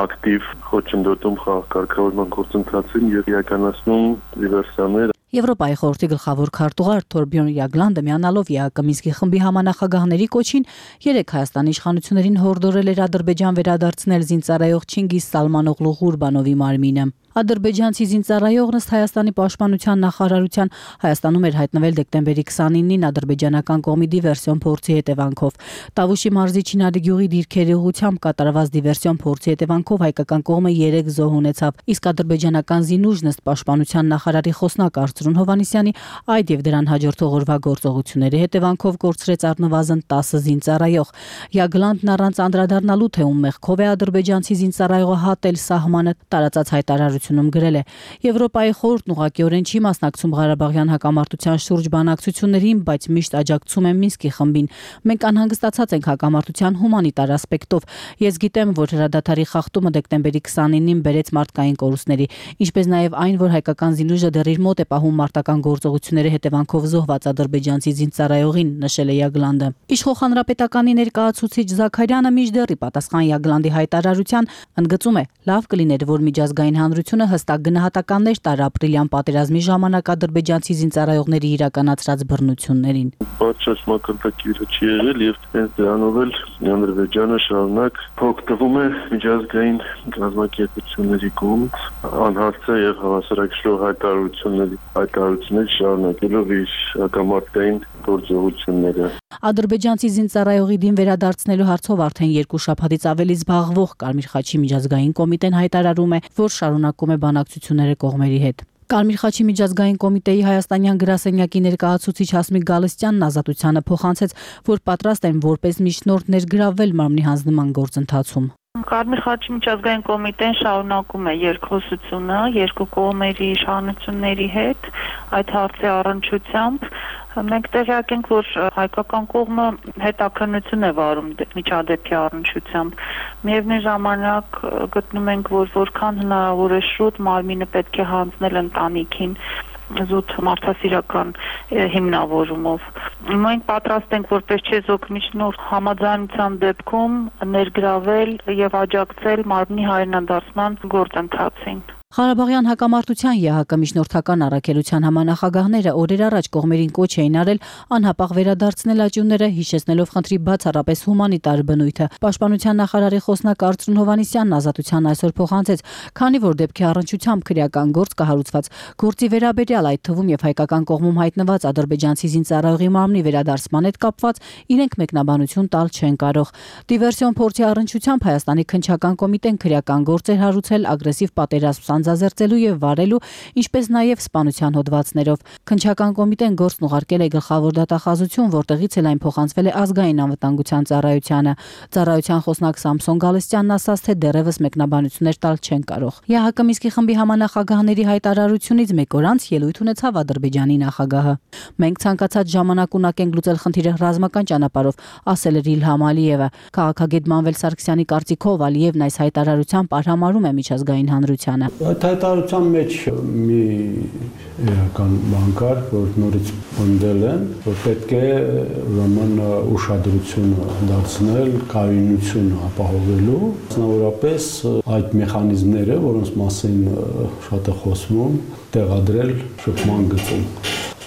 Speaker 17: ակտիվ խոչընդոտում խաղակարգավորման գործընթացին եւ իրականացնում դիվերսիաներ։
Speaker 11: Եվրոպայի խորհրդի գլխավոր քարտուղար Թորբյորն Յագլանդը միանալով ԵԱԿ Մինսկի խմբի համանախագահների կոչին երեք Հայաստանի իշխանություններին հորդորել էր Ադրբեջան վերադարձնել զինծառայող Չինգիզ Սալմանօղլու Ղուրբանովի մարմինը։ Ադրբեջանցի զինծառայողն ըստ Հայաստանի պաշտպանության նախարարության Հայաստանում էր հայտնվել դեկտեմբերի քսանինին ադրբեջանական կողմի դիվերսիոն փորձի հետևանքով։ Տավուշի մարզի Չինարի գյուղի դիրքերի ուղղությամբ կատարված դիվերսիոն փորձի հետևանքով հայկական կողմը երեք զոհ ունեցավ, իսկ ադրբեջանական զինուժն ըստ պաշտպանության նախարարի խոսնակ Արծրուն Հովհաննիսյանի այդ եւ դրան հաջորդող օրվա գործողությունների հետևանքով կորցրեց առնվազն տասը զինծառայող։ Յագլանդն առանց անդրադառնալու թե ում մեղքով է ադրբեջանցի զինծառայողը հատել սահմանը տարածած հայտարարությունում գրել է. Եվրոպայի խորհուրդն ուղղակիորեն չի մասնակցում Ղարաբաղյան հակամարտության շուրջ բանակցություններին, բայց միշտ աջակցում է Մինսկի խմբին։ Մենք անհանգստացած ենք հակամարտության հումանիտար ասպեկտով։ Ես գիտեմ, որ հրադադարի խախտումը դեկտեմբերի քսանինին բերեց մարդկային կորուստների, ինչպես նաև այն, որ հայկական զինուժը դեռ իր մոտ է պահում մարտական գործողությունների հետևանքով զոհված ադրբեջանցի զինծառայողին, նշել է Յագլանդը։ Իշխող հանրապետականի ներկայացուցիչ Զաքարյանը մինչդեռ ի պատասխան Յագլանդի հայտարարության ընդգծում է, լավ կլիներ, որ միջազգային հանրությունը հստակ գնահատականներ տար ապրիլյան պատերազմի ժամանակ ադրբեջանցի զինծառայողների իրականացրած բռնություններին։
Speaker 17: Պատշաճ մակարդակի չի եղել եւ հենց դրանով էլ Ադրբեջանը շարունակ օգտվում է միջազգային կազմակերպությունների կողմից անհարցը եւ հավասարակշռող հայտարարությունների հայտարարություններ շարունակելով իր հակամարտային գործողությունները։
Speaker 11: Ադրբեջանցի զինծառայողի դին վերադարձնելու հարցով արդեն երկու շաբաթից ավելի զբաղվող Կարմիր խաչի միջազգային կոմիտեն հայտարարում է, որ շարունակում է բանակցությունները կողմերի հետ։ Կարմիր խաչի միջազգային կոմիտեի հայաստանյան գրասենյակի ներկայացուցիչ Հասմիկ Գալստյանն Ազատությանը փոխանցեց, որ պատրաստ են որպես միջնորդ ներգրավվել մարմնի հանձնման գործընթացում։
Speaker 15: Կարմիր խաչի միջազգային կոմիտեն շարունակում է երկխոսությունը երկու կողմերի իշխանությունների հետ, այդ հարցի առնչությամբ։ Մենք տեղյակ ենք, որ հայկական կողմը հետաքննություն է վարում միջադեպի առնչությամբ։ Միևնույն ժամանակ գտնում ենք, որ որքան հնարավոր է շուտ մարմինը պետք է հանձնել ընտանիքին զուտ մարդասիրական հիմնավորումով։ Մենք պատրաստ ենք որպես չեզոքմիջնոր համաձայնության դեպքում ներգրավել եւ աջակցել մարմնի հայրենադարձման գործընթացին։
Speaker 11: Ղարաբաղյան հակամարտության ԵՀԿ միջնորդական առաքելության համանախագահները օրեր առաջ կողմերին կոչ էին արել անհապաղ վերադարձնել աճյունները, հիշեցնելով խնդրի բացառապես հումանիտար բնույթը։ Պաշտպանության նախարարի խոսնակ Արծրուն Հովհաննիսյանն Ազատության այսօր փոխանցեց, քանի որ դեպքի առնչությամբ քրեական գործ կհարուցված գործի վերաբերյալ, այդ թվում եւ հայկական կողմում հայտնված ադրբեջանցի զինծառայողի մարմնի վերադարձման հետ կապված իրենք մեկնաբանություն տալ չեն կարող։ Դիվերսիոն փորձի առնչությամբ Հայաստանի քննչական կոմիտեն քրեական գործեր հարուցել ագրեսիվ պատերազմ ձերծելու եւ վարելու, ինչպես նաեւ սպանության հոդվածներով։ Քննչական կոմիտեն գործն ուղարկել է գլխավոր դատախազություն, որտեղից էլ այն փոխանցվել է ազգային անվտանգության ծառայությանը։ Ծառայության խոսնակ Սամսոն Գալստյանն ասաց, թե դեռևս մեկնաբանություններ տալ չեն կարող։ ԵՀԿ Մինսկի խմբի համանախագահների հայտարարությունից մեկ օր անց ելույթ ունեցավ Ադրբեջանի նախագահը։ Մենք ցանկացած ժամանակ ունակ ենք լուծել խնդիրը ռազմական ճանապարհով, ասել էր Իլհամ Ալիևը։ Քաղաքագետ Մանվել Սարգսյանի կարծիքով Ալիևն այս հայտարարությամբ արհամարում է միջազգային հանրությանը։
Speaker 19: Այդ հայտարարության մեջ մի էական բան կար, որ նորից պնդել են, որ պետք է ուրեմն ուշադրությունը դարձնել կայունությունը ապահովելու, մասնավորապես այդ մեխանիզմները, որոնց մասին շատ է խոսվում, տեղադրել շփման գծում։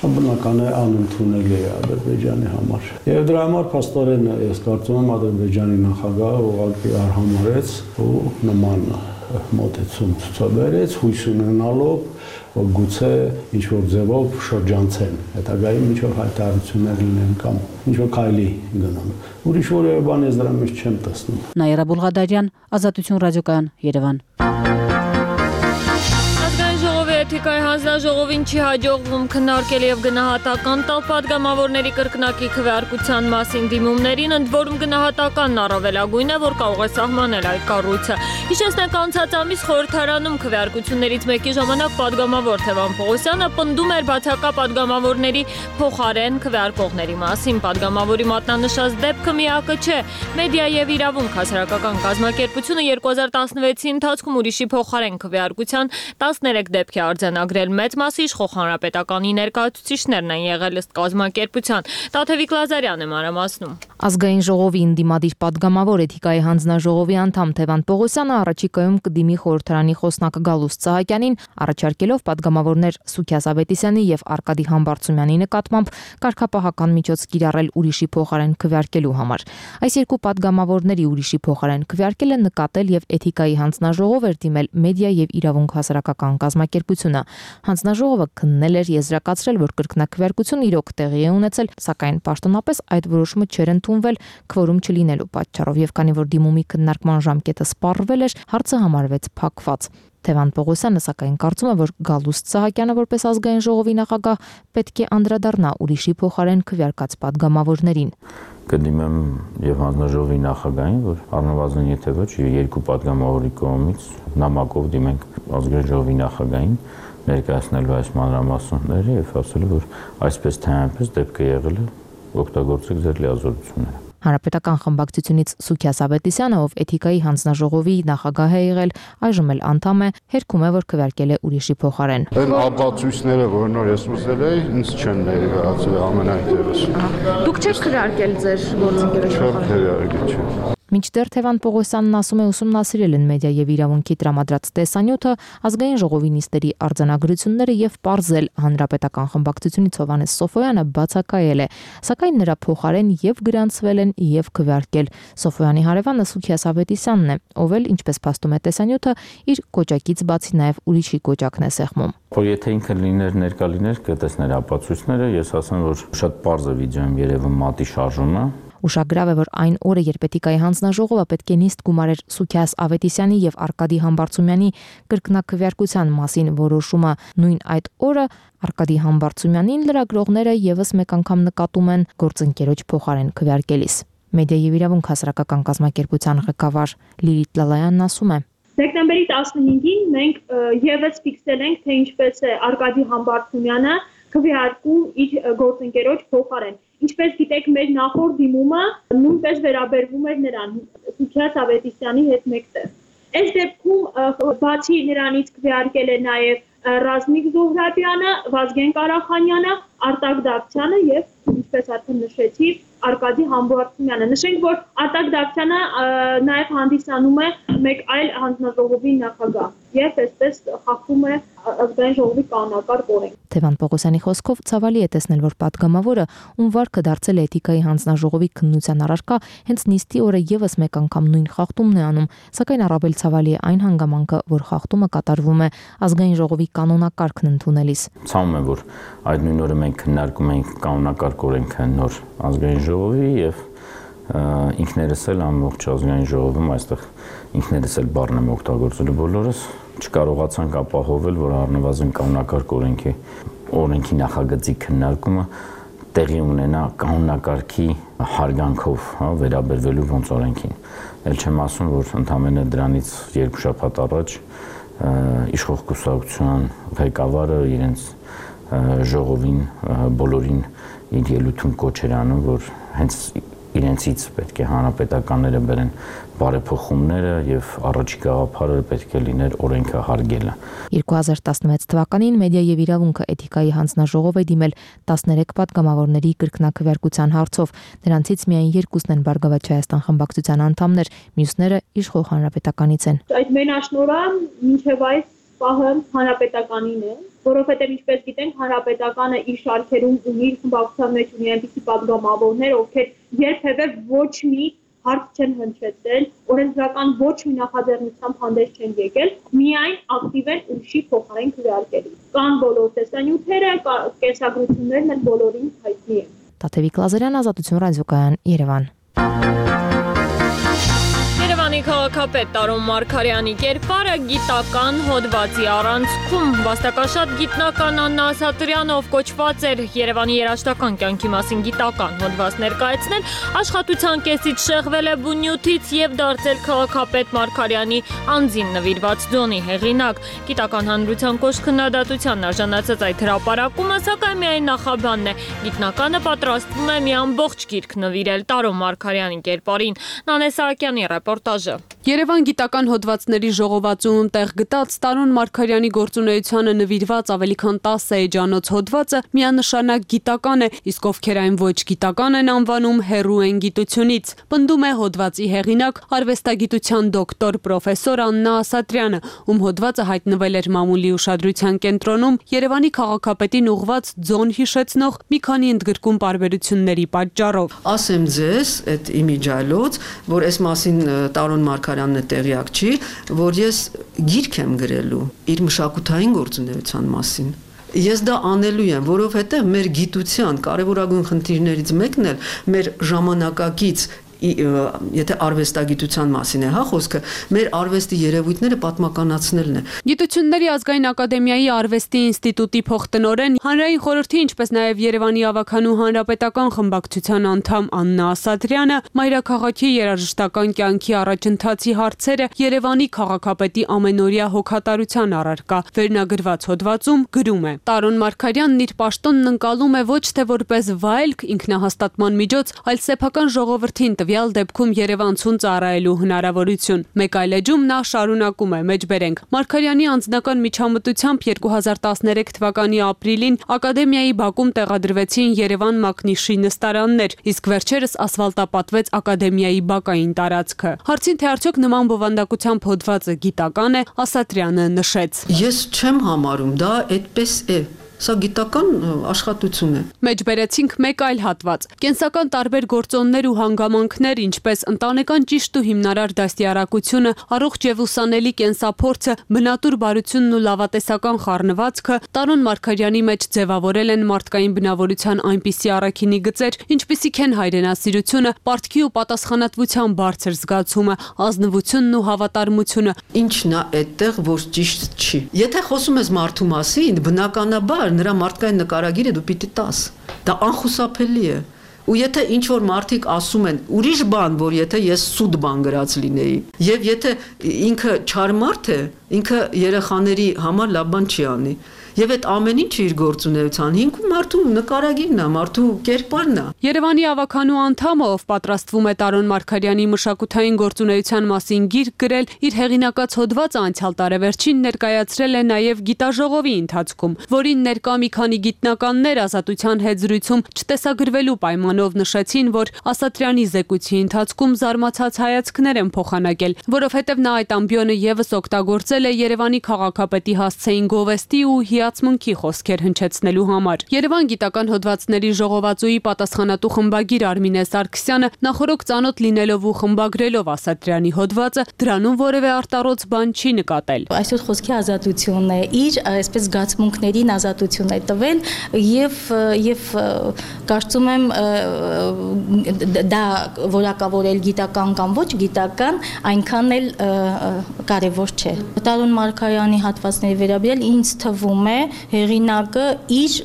Speaker 19: Բնական է անընդունելի է Ադրբեջանի համար։ Եվ դրա համար փաստորեն ես կարծում եմ Ադրբեջանի նախագահը ուղղակի արհամարեց ու նման մոտեցում ցուցաբերեց, հույս ունենալով, որ գուցե ինչ-որ ձևով շրջանցեն, հետագայում ինչ-որ հայտարարություններ լինեն կամ ինչ-որ քայլի գնան։ Ուրիշ որևէ բան ես դրա մեջ չեմ տեսնում։
Speaker 11: Նաիրա Բուլղադարյան, Ազատություն ռադիոկայան, Երևան։
Speaker 1: Էթիկայի հանձնաժողովին չի հաջողվում քննարկել եւ գնահատական տալ պատգամավորների կրկնակի քվեարկության մասին դիմումներին, ընդ որում գնահատականն առավելագույն է, որ կարող է սահմանել այդ կառույցը։ Հիշեցնենք, անցած ամիս խորհրդարանում քվեարկություններից մեկի ժամանակ պատգամավոր Թևան Պողոսյանը պնդում էր բացակա պատգամավորների փոխարեն քվեարկողների մասին։ Պատգամավորի մատնանշած դեպքը միակը չէ։ Մեդիա եւ իրավունք հասարակական կազմակերպությունը երկու հազար տասնվեցի ընթացքում ուրիշի փոխարեն քվեարկության տասներեք դեպք է արձանագրել, մեծ մասի իշխող հանրապետականի ներկայացուցիչներն են եղել ըստ կազմակերպության։ Տաթևիկ Լազարյանը մանրամասնում։
Speaker 20: Ազգային ժողովի ընդդիմադիր պատգամավոր Էթիկայի հանձնաժողովի անդամ Թևան Պողոսյանը առաջիկայում կդիմի խորհրդարանի խոսնակ Գալուստ Սահակյանին, առաջարկելով պատգամավորներ Սուքիաս Ավետիսյանի եւ Արկադի Համբարձումյանի նկատմամբ կարգապահական միջոց կիրառել ուրիշի փոխարեն քվեարկելու համար։ Այս երկու պատգամավորների ուրիշի փոխարեն քվեարկելը նկատել եւ Էթիկայի հանձնաժողով էր դիմել մեդիա եւ իրավունք հասարակական կազմակերպությունը։ Հանձնաժողովը քննել էր, եզրակացրել, որ կրկնակվեարկություն իրոք տեղի է ունեցել, սակայն պաշտոնապես այդ որոշումը չէր ընդունվել քվորում չլինելու պատճառով, եւ քանի որ դիմումի քննարկման ժամկետը սպառվել էր, հարցը համարվեց փակված։ Թևան Պողոսյանը սակայն կարծում է, որ Գալուստ Սահակյանը որպես ազգային ժողովի նախագահ պետք է անդրադառնա ուրիշի փոխարեն քվեարկած պատգամավորներին։
Speaker 21: Կդիմեմ եւ հանձնաժողովի նախագահին, որ առնվազն եթե ոչ երկու պատգամավորի կողմից նամակով դիմենք ազգային ժողովի նախագահին, ներկայացնելու այս մանրամասները եւ ասելու, որ այսպես թե այնպես դեպքը եղել է, օգտագործեք ձեր լիազորությունները։
Speaker 20: Հանրապետական խմբակցությունից Սուքիաս Ավետիսյանը, ով Էթիկայի հանձնաժողովի նախագահ է եղել, այժմ էլ անդամ է, հերքում է, որ քվեարկել է ուրիշի փոխարեն։
Speaker 22: Այն ապացույցները, որ նոր ես ուզել էի, ինձ չեն ներկայացել ամենայնտեղս։
Speaker 20: Դուք չեք քվեարկել ձեր գործընկերոջ
Speaker 22: փոխարեն։
Speaker 20: Մինչդեռ Թևան Պողոսյանն ասում է, ուսումնասիրել են մեդիա եւ իրավունքի տրամադրած տեսանյութը, ազգային ժողովի նիստերի արձանագրությունները եւ պարզել հանրապետական խմբակցությունից Հովհաննես Սոֆոյանը բացակայել է, սակայն նրա փոխարեն եւ գրանցվել են եւ քվեարկել։ Սոֆոյանի հարևանը Սուքիաս Ավետիսյանն է, ով էլ, ինչպես փաստում է տեսանյութը, իր կոճակից բացի նաեւ ուրիշի կոճակն է սեղմում։
Speaker 21: Որ եթե ինքը լիներ ներկա լիներ, կտեսներ ապացույցները, ես ասեմ, որ շատ պարզ է վիդեոյում երևում մատի շարժումը։
Speaker 20: Ուշագրավ է, որ այն օրը, երբ Էթիկայի հանձնաժողովը պետք է նիստ գումարեր Սուքիաս Ավետիսյանի եւ Արկադի Համբարձումյանի կրկնակվեարկության մասին որոշումը, նույն այդ օրը Արկադի Համբարձումյանին լրագրողները եւս մեկ անգամ նկատում են գործընկերոջ փոխարեն քվեարկելիս։ Մեդիա եւ իրավունք հասարակական կազմակերպության ղեկավար Լիլիթ Լալայանն ասում է.
Speaker 23: Դեկտեմբերի տասնհինգին մենք եւս ֆիքսել ենք, թե ինչպես է Արկադի Համբարձումյանը
Speaker 3: քվեարկում իր գործընկերոջ փոխարեն։ Ինչպես գիտեք, մեր նախորդ դիմումը նույնպես վերաբերվում էր նրան, Սուքիաս Ավետիսյանի հետ մեկտեղ։ Այս դեպքում բացի նրանից քվեարկել է նաև Ռազմիկ Զոհրաբյանը, Վազգեն Կարախանյանը, Արտակ Դավթյանը եւ, ինչպես արդեն նշեցի, Արկադի Համբարձումյանը։ Նշենք, որ Արտակ Դավթյանը նաև հանդիսանում է մեկ այլ հանձնաժողովի նախագահ եւ այսպես խախտում է ազգային ժողովի կանոնակարգ օրենք։
Speaker 20: Թևան Պողոսյանի խոսքով ցավալի է տեսնել, որ падգամավորը, ում վարքը դարձել է էթիկայի հանձնաժողովի քննության առարկա, հենց նիստի օրը եւս մեկ անգամ նույն խախտումն է անում, սակայն առավել ցավալի է այն հանգամանքը, որ խախտումը կատարվում է ազգային ժողովի կանոնակարգն ընդունելիս։
Speaker 21: Ցավում է, որ այդ նույն օրը մենք քննարկում ենք կանոնակարգ օրենքը նոր ազգային ժողովի եւ ինքներս էլ ամբողջ ազգային ժողովում այստեղ ինքներս էլ բառն եմ օգտագործելու բոլորս չկարողացանք ապահովել, որ առնվազն կանոնակարգ օրենքի օրենքի նախագծի քննարկումը տեղի ունենա կանոնակարգի հարգանքով, հա, վերաբերվելու ոնց օրենքին։ Էլ չեմ ասում, որ ընդամենը դրանից երկու շաբաթ առաջ իշխող կուսակցության ղեկավարը իրենց ժողովին բոլորին իր ելույթում կոչ էր անում, որ հենց իրենցից պետք է հանրապետականները բերեն բարեփոխումները եւ առաջիկա գաղափարը պետք է լիներ օրենքը հարգելը։
Speaker 20: երկու հազար տասնվեց թվականին Մեդիա եւ իրավունքը էթիկայի հանձնաժողով է դիմել տասներեք падգամավորների կրկնակվեարկության հարցով։ Նրանցից միայն երկուսն են Բարգավաճ Հայաստան խմբակցության անդամներ, մյուսները իշխող հանրապետականից են։
Speaker 3: Այդ մենաշնորհը մինչեւ այս պահը հանրապետականին է, որովհետև ինչպես գիտենք, հանրապետականը իր շարքերում ունի իր խմբակցության մեջ ունի այնպիսի падգամավորներ, ովքեր երբևէ ոչ մի հարց չեն հնչեցրել, օրենսդրական ոչ մի նախաձեռնությամբ հանդես չեն եկել, միայն ակտիվ են ուրիշի փոխարեն քվեարկելու։ Կան բոլոր տեսանյութերը, կենսագրություններն էլ բոլորին հայտնի են։
Speaker 20: Տաթևիկ Լազարյան, Ազատություն ռադիոկայան, Երևան։
Speaker 1: Երևանի քաղաքապետ Տարոն Մարգարյանի կերպարը գիտական հոդվածի առանցքում վաստակաշատ գիտնական Աննա Ասատրյանով կոչված էր Երևանի երաժշտական կյանքի մասին գիտական հոդված ներկայացնել, աշխատության կեսից շեղվել է բունյութից եւ դարձել քաղաքապետ Մարգարյանի անձին նվիրված ձոնի հեղինակ։ Գիտական հանրության կոշտ քննադատության արժանացած այդ հրապարակումը սակայն միայն նախաբանն է։ Գիտնականը պատրաստվում է մի ամբողջ գիրք նվիրել Տարոն Մարգարյանի կերպարին։ Նանե Սահակյանի ռեպորտաժը։
Speaker 4: Երևան գիտական հոդվածների ժողովածուում տեղ գտած Տարոն Մարգարյանի գործունեությանը նվիրված ավելի քան տասը էջանոց հոդվածը միանշանակ գիտական է, իսկ ովքեր այն ոչ գիտական են անվանում, հեռու են գիտությունից։ Պնդում է հոդվածի հեղինակ, արվեստագիտության դոկտոր պրոֆեսոր Աննա Ասատրյանը, ում հոդվածը հայտնվել էր մամուլի ուշադրության կենտրոնում Երևանի քաղաքապետին ուղված ձոն հիշեցնող մի քանի ընդգրկում պարբերությունների պատճառով։
Speaker 23: Ասեմ ձեզ, այդ իմիջայլոց, որ այս մասին Տարոն Մարգարյանն է տեղյակ չի, որ ես գիրք եմ գրելու իր մշակութային գործունեության մասին։ Ես դա անելու եմ, որովհետև մեր գիտության կարևորագույն խնդիրներից մեկն էլ մեր ժամանակակից եթե արվեստագիտության մասին է, հա, խոսքը, մեր արվեստի երևույթները պատմականացնելն է։
Speaker 4: Գիտությունների ազգային ակադեմիայի արվեստի ինստիտուտի փոխտնօրեն, հանրային խորհրդի, ինչպես նաև Երևանի ավագանու հանրապետական խմբակցության անդամ Աննա Ասատրյանը մայրաքաղաքի երաժշտական կյանքի առաջընթացի հարցերը Երևանի քաղաքապետի ամենօրյա հոգատարության առարկա վերնագրված հոդվածում գրում է. Տարոն Մարգարյանն իր պաշտոնն ընկալում է ոչ թե որպես վայելք ինքնահաստատման միջոց, այլ սեփական ժողովրդին տվյալ դեպքում Երևանցուն ծառայելու հնարավորություն։ Մեկ այլ էջում նա շարունակում է. մեջբերենք Մարգարյանի անձնական միջամտությամբ երկու հազար տասներեք թվականի ապրիլին ակադեմիայի բակում տեղադրվեցին Երևան Մակնիշի նստարաններ, իսկ վերջերս ասֆալտապատվեց ակադեմիայի բակային տարածքը։ Հարցին թե արդյոք նման բովանդակությամբ հոդվածը գիտական է, Ասատրյանը նշեց.
Speaker 23: Ես չեմ համարում, դա այդպես է։ Սա գիտական աշխատություն է։
Speaker 4: Մեջբերեցինք մեկ այլ հատված։ Կենսական տարբեր գործոններ ու հանգամանքներ, ինչպես ընտանեկան ճիշտ ու հիմնարար դաստիարակությունը, առողջ եւ ուսանելի կենսափորձը, բնատուր բարությունն ու լավատեսական խառնվածքը Տարոն Մարգարյանի մեջ ձևավորել են մարդկային բնավորության այնպիսի առաքինի գծեր, ինչպիսիք են հայրենասիրությունը, պարտքի ու պատասխանատվության բարձր զգացումը, ազնվությունն ու հավատարմությունը։
Speaker 23: Ինչն է այդտեղ, որ ճիշտ չի։ Եթե խոսում ես մարդու մասին, բնականաբար նրա մարդկային նկարագիրը դու պիտի տաս։ Դա անխուսափելի է։ Ու եթե ինչ որ մարդիկ ասում են ուրիշ բան, որ եթե ես սուտ բան գրած լինեի, եւ եթե ինքը չար մարդ է, ինքը երեխաների համար լավ բան չի անի։ Եվ այդ ամեն ինչը իր գործունեության հիմքում մարդու նկարագիրն է, մարդու կերպարն է։
Speaker 4: Երևանի ավականու անդամը, ով պատրաստվում է Տարոն Մարգարյանի մշակութային գործունեության մասին գիրք գրել, իր հեղինակած հոդվածը անցյալ տարեվերջին ներկայացրել է նաև գիտաժողովի ընթացքում, որին ներկա մի քանի գիտնականներ Ազատության հետ զրույցում չտեսագրվելու պայմանով նշեցին, որ Ասատրյանի զեկույցի ընթացքում զարմացած հայացքներ են փոխանակել, որովհետև նա այդ ամբիոնը եւս օգտագործել է Երևանի քաղաքապետի հասցեին գովեստի ու հիացմունքի խոսքեր հնչեցնելու համար։ Երևան գիտական հոդվածների ժողովածուի պատասխանատու խմբագիր Արմինե Սարգսյանը նախորոք ծանոթ լինելով ու խմբագրելով Ասատրյանի հոդվածը դրանում որևէ արտառոց բան չի նկատել։
Speaker 5: Այսօր խոսքի ազատությունն է, իր այսպես զգացմունքներին ազատություն է տվել եւ եւ կարծում եմ դա որակավորել գիտական կամ ոչ գիտական այնքան էլ կարևոր չէ։ Տարոն Մարգարյանի հատվածների վերաբերյալ ինձ թվում է հեղինակը իր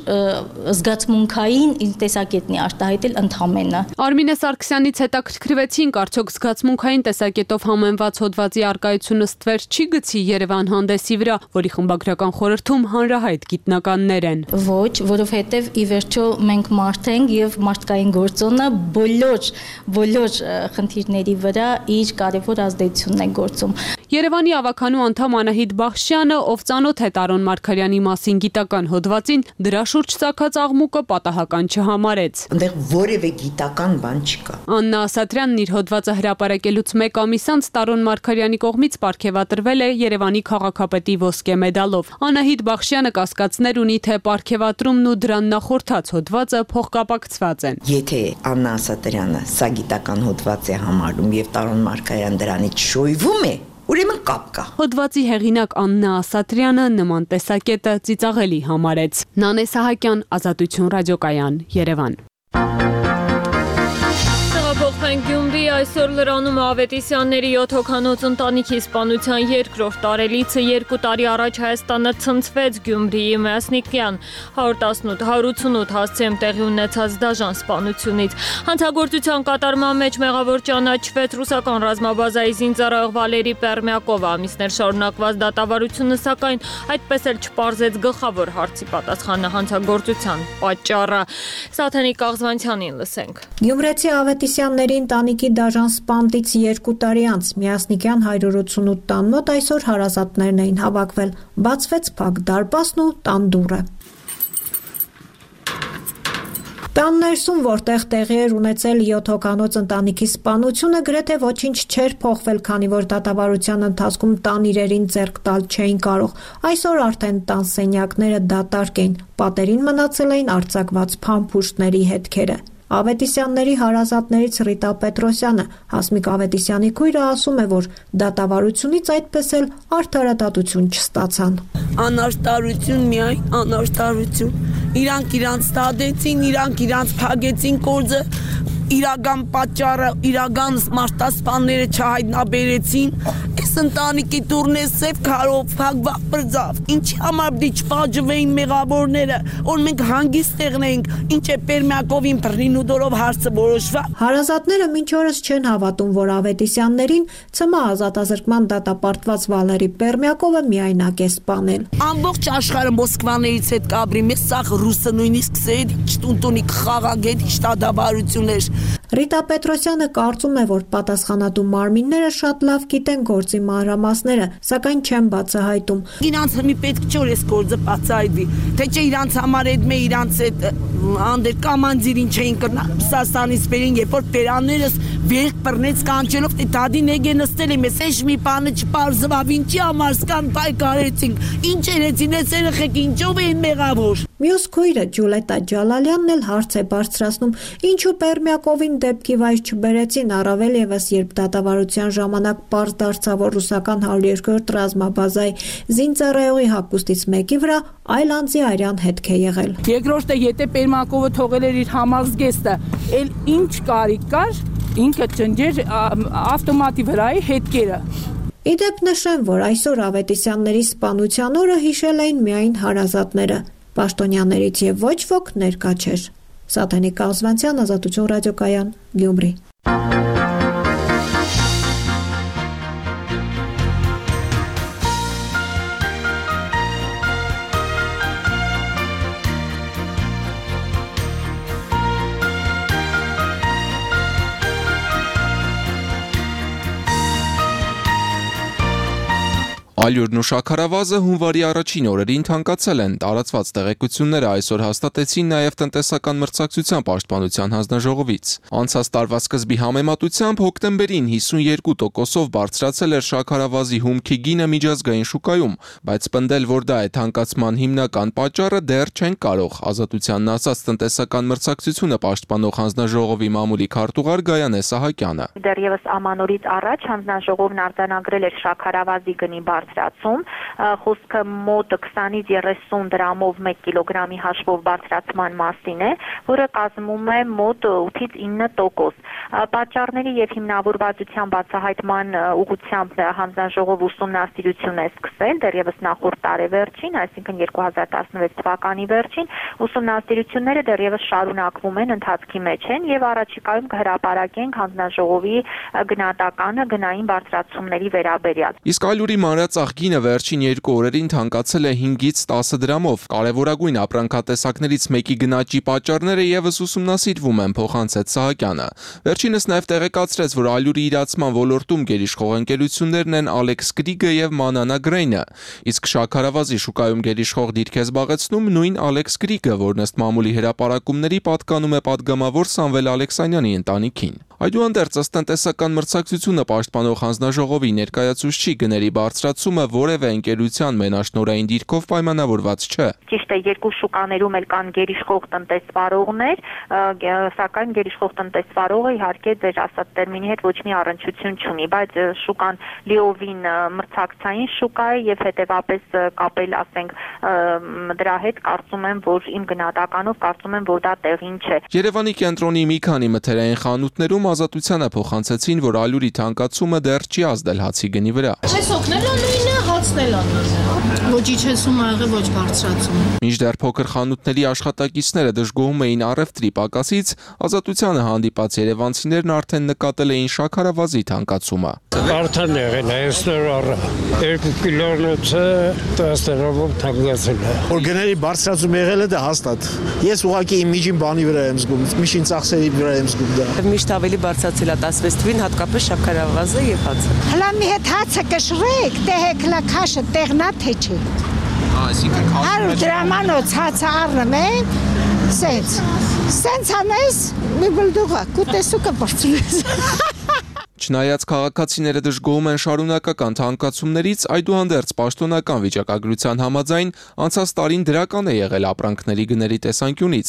Speaker 5: զգացմունքային տեսակետն է արտահայտել ընդհանրապես։
Speaker 4: Արմինե Սարգսյանից հետաքրքրվեցինք, արդյոք զգացմունքային տեսակետով համեմված հոդվածի արկայությունը ստվեր չի գցի Երևան հանդեսի վրա, որի խմբագրական խորհրդում հանրահայտ գիտնականներ են։
Speaker 5: Ոչ, որովհետև ի վերջո մենք մարդ ենք եւ մարդկային գործոնը բոլոր բոլոր խնդիրների վրա իր կարևոր ազդեցությունն է գործում։
Speaker 4: Երևանի ավականու անդամ Անահիտ Բախշյանը, ով ծանոթ է Տարոն Մարգարյանի մասին գիտական հոդվածին, դրա շուրջ ցակած աղմուկը պատահական չհամարեց։
Speaker 7: Այնտեղ որևէ գիտական բան չկա։
Speaker 4: Աննա Ասատրյանն իր հոդվածը հրապարակելուց մեկ ամիս անց Տարոն Մարգարյանի կողմից պարգևատրվել է Երևանի քաղաքապետի ոսկե մեդալով։ Անահիտ Բախշյանը կասկածներ ունի, թե պարգևատրումն ու դրան նախորդած հոդվածը փոխկապակցված են։
Speaker 7: Եթե Աննա Ասատրյանը սա գիտական հոդված է համարում եւ Տարոն Մարգարյան դրանից շոյվում է, ուրեմն կապ կա։
Speaker 4: Հոդվածի հեղինակ Աննա Ասատրյանը նման տեսակետը ծիծաղելի համարեց։ Նանե Սահակյան, Ազատություն ռադիոկայան, Երևան։
Speaker 1: Փոխենք Գյումրի, այսօր Լրանում Ավետիսյանների յոթ հոգանոց ընտանիքի սպանության երկրորդ տարելիցը երկու տարի առաջ Հայաստանը ցնցվեց Գյումրիի Մասնիկյան հարյուր ութանոց հասցեում տեղի ունեցած դաժան սպանությունից։ Հանցագործության կատարման մեջ մեղավոր ճանաչվեց ռուսական ռազմաբազայի զինծառայող Վալերի Պերմյակովը։ Ամիսներ շարունակված դատավարությունը սակայն այդպես էլ չպարզեց գլխավոր հարցի պատասխանը հանցագործության պատճառը։ Սաթենիկ Աղզվանցյանին լսենք։
Speaker 8: Գյումրեցի Ավետիսյանների ընտանիքի դաժան սպանդից երկու տարի անց Միասնիկյան հարյուր ութանոց տան մոտ այսօր հարազատներն էին հավաքվել։ Բացվեց փակ դարպասն ու տան դուռը։ Տան ներսում, որտեղ տեղի էր ունեցել յոթ հոգանոց ընտանիքի սպանությունը, գրեթե ոչինչ չէր փոխվել, քանի որ դատավարության ընթացքում տան իրերին ձեռք տալ չէին կարող։ Այսօր արդեն տան սենյակները դատարկ էին, պատերին մնացել էին արձակված փամփուշտների հետքերը։ Ավետիսյանների հարազատներից Ռիտա Պետրոսյանը, Հասմիկ Ավետիսյանի քույրը, ասում է, որ դատավարությունից այդպես էլ արդարադատություն չստացան։
Speaker 24: Անարդարություն, միայն անարդարություն։ Իրանք իրանց տադեցին, իրանք իրանց փագեցին կորձը, իրական պատճառը, իրական մարտասպանները չհայտնաբերեցին։ Այս ընտանիքի դուրն է սև քարով փակված բրձավ։ Ինչի համար դի չփաջվեին մեղավորները, որ մենք հանգիստ տեղնենք, ինչ է Պերմյակովին բռնին ու դորով հարցը որոշված։
Speaker 8: Հարազատները մինչ օրս չեն հավատում, որ Ավետիսյաններին ՑՄ ազատազրկման դատապարտված Վալերի Պերմյակովը միայնակ է սպանել։
Speaker 24: Ամբողջ աշխարհը Մոսկվաներից հետ կաբրի, մեզ սաղ ռուսը նույնիսկ սեդ չտունտունի խաղագետ շտադավարություններ։
Speaker 8: Ռիտա Պետրոսյանը կարծում է, որ պատասխանատու մարմինները շատ լավ գիտեն գործի մանրամասները, սակայն չեն բացահայտում։
Speaker 24: Իրանց մի պետք չէ որ այս գործը բացահայտվի, թե չէ իրանց համար այդ մե իրանց այդ անդեր կամանձիրին չէին կրնա Ռուսաստանից բերին, երբ որ պերաններս վեր բռնեց կանչելով, թե դադի նեգե նստել եմ, ես մի բանը չպարզվավ, ինչի համար սկան պայքարեցինք, ինչ երեցին, այս երեխեք ինչով էին մեղավոր։
Speaker 8: Մյուս քույրը Ջուլետա Ջալալյանն էլ հարց է բարձրացնում, ինչու Պերմյակովին դեպքի վայր չբերեցին, առավել ևս երբ դատավարության ժամանակ պարզ դարձավ, որ ռուսական հարյուր երկրորդ ռազմաբազայի զինծառայողի հագուստից մեկի վրա այլ անձի արյան հետք է եղել։
Speaker 24: Երկրորդը, եթե Պերմյակովը թողել էր իր համազգեստը, էլ ինչ կարիք կար, ինքը ճնջեր ավտոմատի վրայի հետքերը։
Speaker 8: Իդեպ նշեմ, որ այսօր Ավետիսյանների սպանության օրը հիշել էին միայն հարազատները, պաշտոնյաներից եւ ոչ ոք ներկա չէր։ Սաթենիկ Աղզվանցյան, Ազատություն ռադիոկայան, Գյումրի։
Speaker 2: Ալյուրն ու շաքարավազը հունվարի առաջին օրերին թանկացել են։ Տարածված տեղեկությունները այսօր հաստատեցին նաև տնտեսական մրցակցության պաշտպանության հանձնաժողովից։ Անցած տարվա սկզբի համեմատությամբ հոկտեմբերին հիսունյոթ տոկոսով բարձրացել էր շաքարավազի հումքի գինը միջազգային շուկայում, բայց պնդել, որ դա է թանկացման հիմնական պատճառը, դեռ չեն կարող։ Ազատությանն ասած տնտեսական մրցակցությունը պաշտպանող հանձնաժողովի մամուլի քարտուղար Գայանե Սահակյանը։
Speaker 6: Դեռևս ամանորից առաջ հանձնաժողովն արձանագրել էր շաքարավազի գնի բարձրացում, խոսքը մոտ քսանից երեսուն դրամով մեկ կիլոգրամի հաշվով բարձրացման մասին է, որը կազմում է մոտ ութից ինը տոկոս։ Պատճառների եւ հիմնավորվածության բացահայտման ուղղությամբ հանձնաժողով ուսումնասիրություն է սկսել դեռևս նախորդ տարեվերջին, այսինքն երկու հազար տասնվեց թվականի վերջին, ուսումնասիրությունները դեռևս շարունակվում են, ընթացքի մեջ են եւ առաջիկայում կհրապարակենք հանձնաժողովի գնահատականը գնային բարձրացումների վերաբերյալ։
Speaker 2: Իսկ ալյուրի մանրածախ գինը վերջին երկու օրերին թանկացել է հինգից տասը դրամով։ Կարևորագույն ապրանքատեսակներից մեկի գնաճի պատճառները եւս ուսումնասիրվում են, փոխանցեց Սահակյանը։ Վերջինս նաև տեղեկացրեց, որ ալյուրի իրացման ոլորտում գերիշխող ընկերություններն են Alex Krieg-ը եւ Manana Grain-ը, իսկ շաքարավազի շուկայում գերիշխող դիրք է զբաղեցնում նույն Alex Krieg-ը, որն ըստ մամուլի հրապարակումների պատկանում է падգամավոր Սամվել Ալեքսանյանի ընտանիքին։ Այդուհանդերձ ըստ տնտեսական մրցակցությունը պաշտպանող հանձնաժողովի ներկայացուցչի գների բարձրացումը որևէ ընկերության մենաշնորհային դիրքով պայմանավորված չէ։
Speaker 6: Ճիշտ է, երկու շուկաներում էլ կան գերիշխող տնտեսվարողներ, սակայն գերիշխող տնտեսվարողը իհարկե ձեր ասած տերմինի հետ ոչ մի առնչություն չունի, բայց շուկան լիովին մրցակցային շուկա է եւ հետեւապես կապել, ասենք, դրա հետ կարծում եմ, որ իմ գնահատականով կարծում եմ, որ դա տեղին չէ։
Speaker 2: Երևանի կենտրոնի մի քանի մթերային խանութներում Ազատությանը փոխանցեցին, որ ալյուրի թանկացումը դեռ չի ազդել հացի գնի վրա։
Speaker 10: Այս օգնել է նույնը, հացնել է նույնը։ Ոչ իջեցում ա եղել, ոչ բարձրացում։
Speaker 2: Մինչդեռ փոքր խանութների աշխատակիցները դժգոհում էին առևտրի պակասից, Ազատությանը հանդիպած երևանցիներն արդեն նկատել էին շաքարավազի թանկացումը։
Speaker 12: Արդեն եղել է, այսօր առ երկու կիլոնոցը տասներով թանկացել է։
Speaker 25: Որ գների բարձրացում եղել է դա հաստատ։ Ես ուղղակի իմ միջին բանի վրա եմ զգում, միջին ծախսերի վրա եմ զգում դա։
Speaker 26: Միշտ ավելի բարձրացել է տասվեց թվին, հատկապես շաքարավազը եւ հացը։
Speaker 27: Հլա մի հետ հացը կշռեք, տեհեք լա քաշը տեղնա թե չի։
Speaker 2: Այսինքն
Speaker 27: հարյուր դրամանոց հացը առնում են, սենց։ Սենց անես մի բլդուղա, կուտեսու կբարձրես։
Speaker 2: Չնայած քաղաքացիները դժգոհում են շարունակական թանկացումներից, այդուհանդերձ պաշտոնական վիճակագրության համաձայն անցած տարին դրական է եղել ապրանքների գների տեսանկյունից։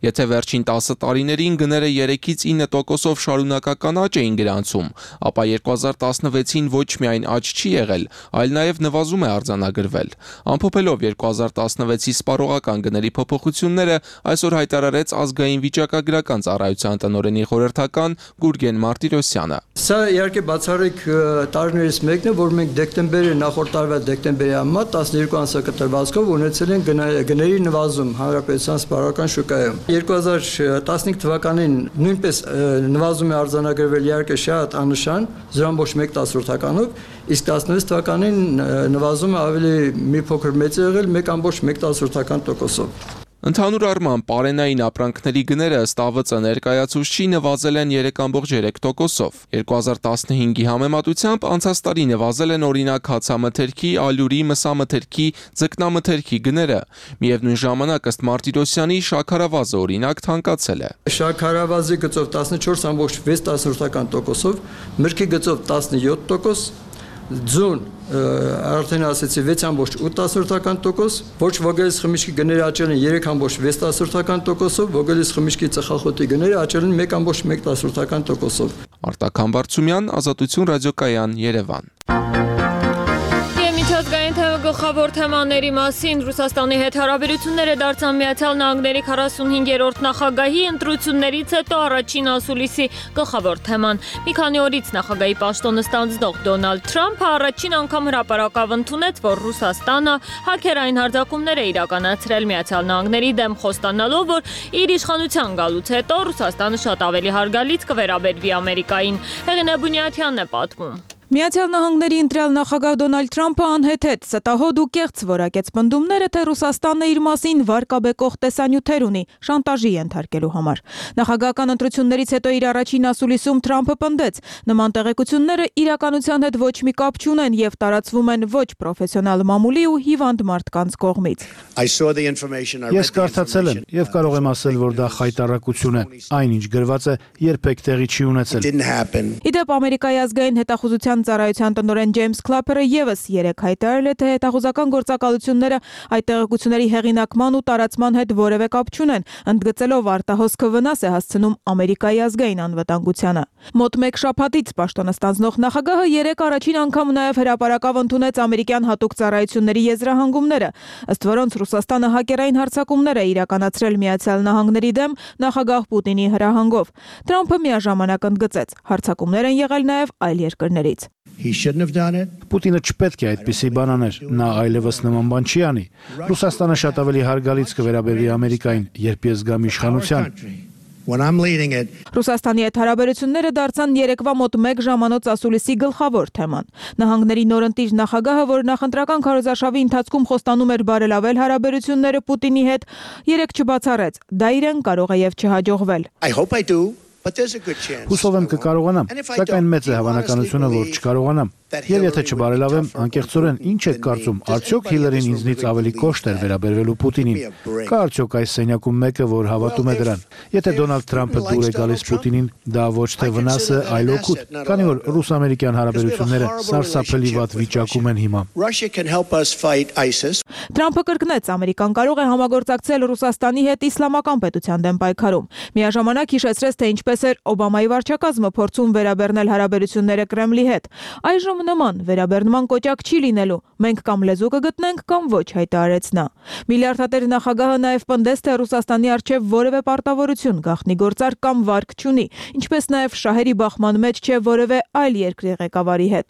Speaker 2: Եթե վերջին տասը տարիներին գները երեքից ինը տոկոսով շարունակական աճ էին գրանցում, ապա երկու հազար տասնվեցին ոչ միայն աճ չի եղել, այլ նաև նվազում է արձանագրվել։ Ամփոփելով երկու հազար տասնվեցի սպառողական գների փոփոխությունները, այսօր հայտարարեց ազգային վիճակագրական ծառայության տնօրենի խորհրդական Գուրգեն Մարտիրոսյանը։
Speaker 28: Սա իհարկե բացառիկ տարիներից մեկն է, որ մենք դեկտեմբերի նախորդ տարվա դեկտեմբերի համեմատ տասներկու ամսակտրվածքով ունեցել ենք գների նվազում հանրապետության սպառողական շուկայում։ երկու հազար տասնհինգ թվականին նույնպես նվազում է արձանագրվել իհարկե շատ աննշան զրո կόμμα մեկ տասնորդականով, իսկ տասնվեց թվականին նվազումը ավելի մի փոքր մեծ է եղել մեկ կόμма մեկ տասնորդական տոկոսով։
Speaker 2: Ընդհանուր առմամբ պարենային ապրանքների գները ըստ ԱՎԾ ներկայացուցչի նվազել են երեք կόμμα երեք տոկոսով։ երկու հազար տասնհինգի համեմատությամբ անցած տարի նվազել են օրինակ հացամթերքի, ալյուրի, մսամթերքի, ձկնամթերքի գները։ Միևնույն ժամանակ ըստ Մարտիրոսյանի շաքարավազը օրինակ թանկացել է։
Speaker 28: Շաքարավազի գծով տասնչորս կόμма վեց տասնորդական տոկոսով, մրգի գծով տասնյոթ տոկոս, ձուն արդեն ասեցի վեց կόμμα ութ տասնորդական տոկոս, ոչ ոգելից խմիչքի գները աճել են երեք կόμма վեց տասնորդական տոկոսով, ոգելից խմիչքի ծխախոտի գները աճել են մեկ կόμма մեկ տասնորդական տոկոսով։
Speaker 2: Արտակ Համբարձումյան, Ազատություն ռադիոկայան, Երևան։
Speaker 1: Միջազգային գլխավոր թեմաների մասին Ռուսաստանի հետ հարաբերությունները դարձան Միացյալ Նահանգների քառասունհինգերորդ նախագահի ընտրություններից հետո առաջին ասուլիսի գլխավոր թեման։ Մի քանի օրից նախագահի պաշտոնը ստանձնող Դոնալդ Թրամփը առաջին անգամ հրապարակավ ընդունեց, որ Ռուսաստանը հաքերային հարձակումներ է իրականացրել Միացյալ Նահանգների դեմ, խոստանալով, որ իր իշխանության գալուց հետո Ռուսաստանը շատ ավելի հարգալից կվերաբերվի Ամերիկային։ Հեղինե Բունյաթյանն է պատմում։
Speaker 9: Միացյալ Նահանգների ընտրյալ նախագահ Դոնալդ Թրամփը անհեթեթ ստահոդ ու կեղծ որակեց պնդումները, թե Ռուսաստանն իր մասին վարկաբեկող տեսանյութեր ունի շանտաժի ենթարկելու համար։ Նախագահական ընտրություններից հետո իր առաջին ասուլիսում Թրամփը պնդեց, նման տեղեկությունները իրականության հետ ոչ մի կապ չունեն եւ տարածվում են ոչ պրոֆեսիոնալ մամուլի ու հիվանդ մարդկանց կողմից։
Speaker 25: Ես կարդացել եմ եւ կարող եմ ասել, որ դա խայտառակություն է։ Այնինչ գրված է, երբեք տեղի չի ունեցել։
Speaker 9: Իդեպ Ամերիկայի ազգային հետախուզության ծառայության տնօրեն Ջեյմս Քլափերը եւս երեք հայտարարել է, թե հետախուզական գործակալությունները այդ տեղեկությունների հեղինակման ու տարածման հետ որևէ կապ չունեն, ընդգծելով արտահոսքը վնաս է հասցնում Ամերիկայի ազգային անվտանգությանը։ Մոտ մեկ շաբաթից պաշտոնը ստանձնող նախագահը երեք առաջին անգամ նաեւ հրապարակավ ընդունեց ամերիկյան հատուկ ծառայությունների եզրահանգումները, ըստ որոնց Ռուսաստանը հակերային հարձակումներ է իրականացրել Միացյալ Նահանգների դեմ նախագահ Պուտինի հրահանգով։ Թրամփը միաժամանակ ընդգծեց, հարձակումներ են եղել նաեւ այլ երկրներից։
Speaker 25: Պուտինը չպետք է այդպիսի բան աներ, նա այլևս նման բան չի անի։ Ռուսաստանը շատ ավելի հարգալից կվերաբերվի Ամերիկային, երբ ես գամ իշխանության։
Speaker 9: Ռուսաստանի հետ հարաբերությունները դարձան երեկվա մոտ մեկ ժամանոց ասուլիսի գլխավոր թեման։ Նահանգների նորընտիր նախագահը, որ նախընտրական քարոզարշավի ընթացքում խոստանում էր բարելավել հարաբերությունները Պուտինի հետ, երեք չբացառեց։ Դա իրեն կարող է եւ չհաջողվել։
Speaker 25: Հուսով եմ կկարողանամ, սակայն մեծ է հավանականությունը, որ չկարողանամ։ Եվ եթե չբարելավեմ, անկեղծորեն ինչ եք կարծում, արդյոք Հիլարին ինձնից ավելի կոշտ էր վերաբերվելու Պուտինին։ Կա արդյոք այս սենյակում մեկը, որ հավատում է դրան։ Եթե Դոնալդ Թրամփը դուր է գալիս Պուտինին, դա ոչ թե վնաս է, այլ օգուտ, քանի որ ռուս-ամերիկյան հարաբերությունները սարսափելի վատ վիճակում են հիմա։
Speaker 9: Թրամփը կրկնեց, Ամերիկան կարող է համագործակցել Ռուսաստանի հետ իսլամական պետության դեմ պայքարում։ Միաժամանակ հիշեցրեց, թե ինչպես էր Օբամայի վարչակազմը փորձում վերաբերնել հարաբերությունները Կրեմլի հետ։ Այժմ նման վերաբերնման կոճակ չի լինելու, մենք կամ լեզու կգտնենք, կամ ոչ, հայտարարեց նա։ Միլիարդատեր նախագահը նաև պնդեց, թե Ռուսաստանի առջև որևէ պարտավորություն, գաղտնի գործարք կամ վարկ չունի, ինչպես նաև շահերի բախման մեջ չէ որևէ այլ երկրի ղեկավարի հետ։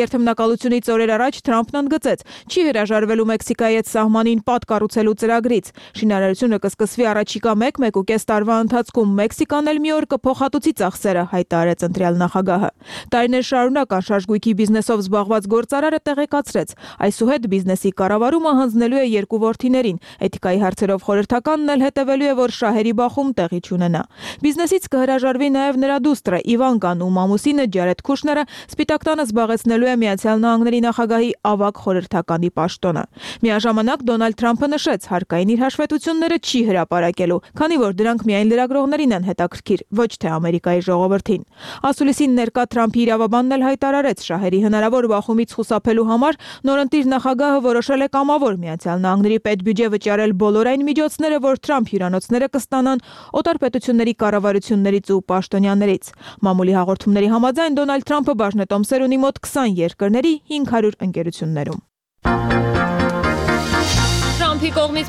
Speaker 9: Երթմնակալությունից օրեր առաջ Թրամփն ընդգծեց, չի հրաժարվելու Մեքսիկայի հետ սահմանին պատ կառուցելու ծրագրից։ Շինարարությունը կսկսվի առաջիկա մեկ-մեկուկես տարվա ընթացքում, Մեքսիկան էլ մի օր կփոխհատուցի ծախսերը, հայտարարեց ընտրյալ նախագահը։ Տարիներ շարունակ անշարժ բիզնեսով զբաղված գործարարը տեղեկացրեց, այսուհետ բիզնեսի կառավարումը հանձնելու է երկու որդիներին, էթիկայի հարցերով խորհրդականն էլ հետևելու է, որ շահերի բախում տեղի չունենա։ Բիզնեսից կհրաժարվի նաև նրա դուստրը Իվանկան ու մամուսինը Ջարեդ Քուշները Սպիտակ տանը զբաղեցնելու է Միացյալ Նահանգների նախագահի ավագ խորհրդականի պաշտոնը։ Միաժամանակ Դոնալդ Թրամփը նշեց, հարկային իր հաշվետվությունները չի հրապարակելու, քանի որ դրանք միայն լրագրողներին են հետաքրքիր, ոչ թե Ամերիկայի ժողովրդին։ Ասուլիսին ներկա Թրամփի իրավաբանն էլ հայտարարեց, շահերի հնարավոր բախումից խուսափելու համար նորընտիր նախագահը որոշել է կամավոր Միացյալ Նահանգների պետբյուջե վճարել բոլոր այն միջոցները, որ Թրամփ հյուրանոցները կստանան օտար պետությունների կառավարություններից ու պաշտոնյաներից։ Մամուլի հաղորդումների համաձայն Դոնալդ Թրամփը բաժնետոմսեր ունի մոտ քսան երկրների հինգ հարյուր ընկերություններում։
Speaker 1: Թրամփի կողմից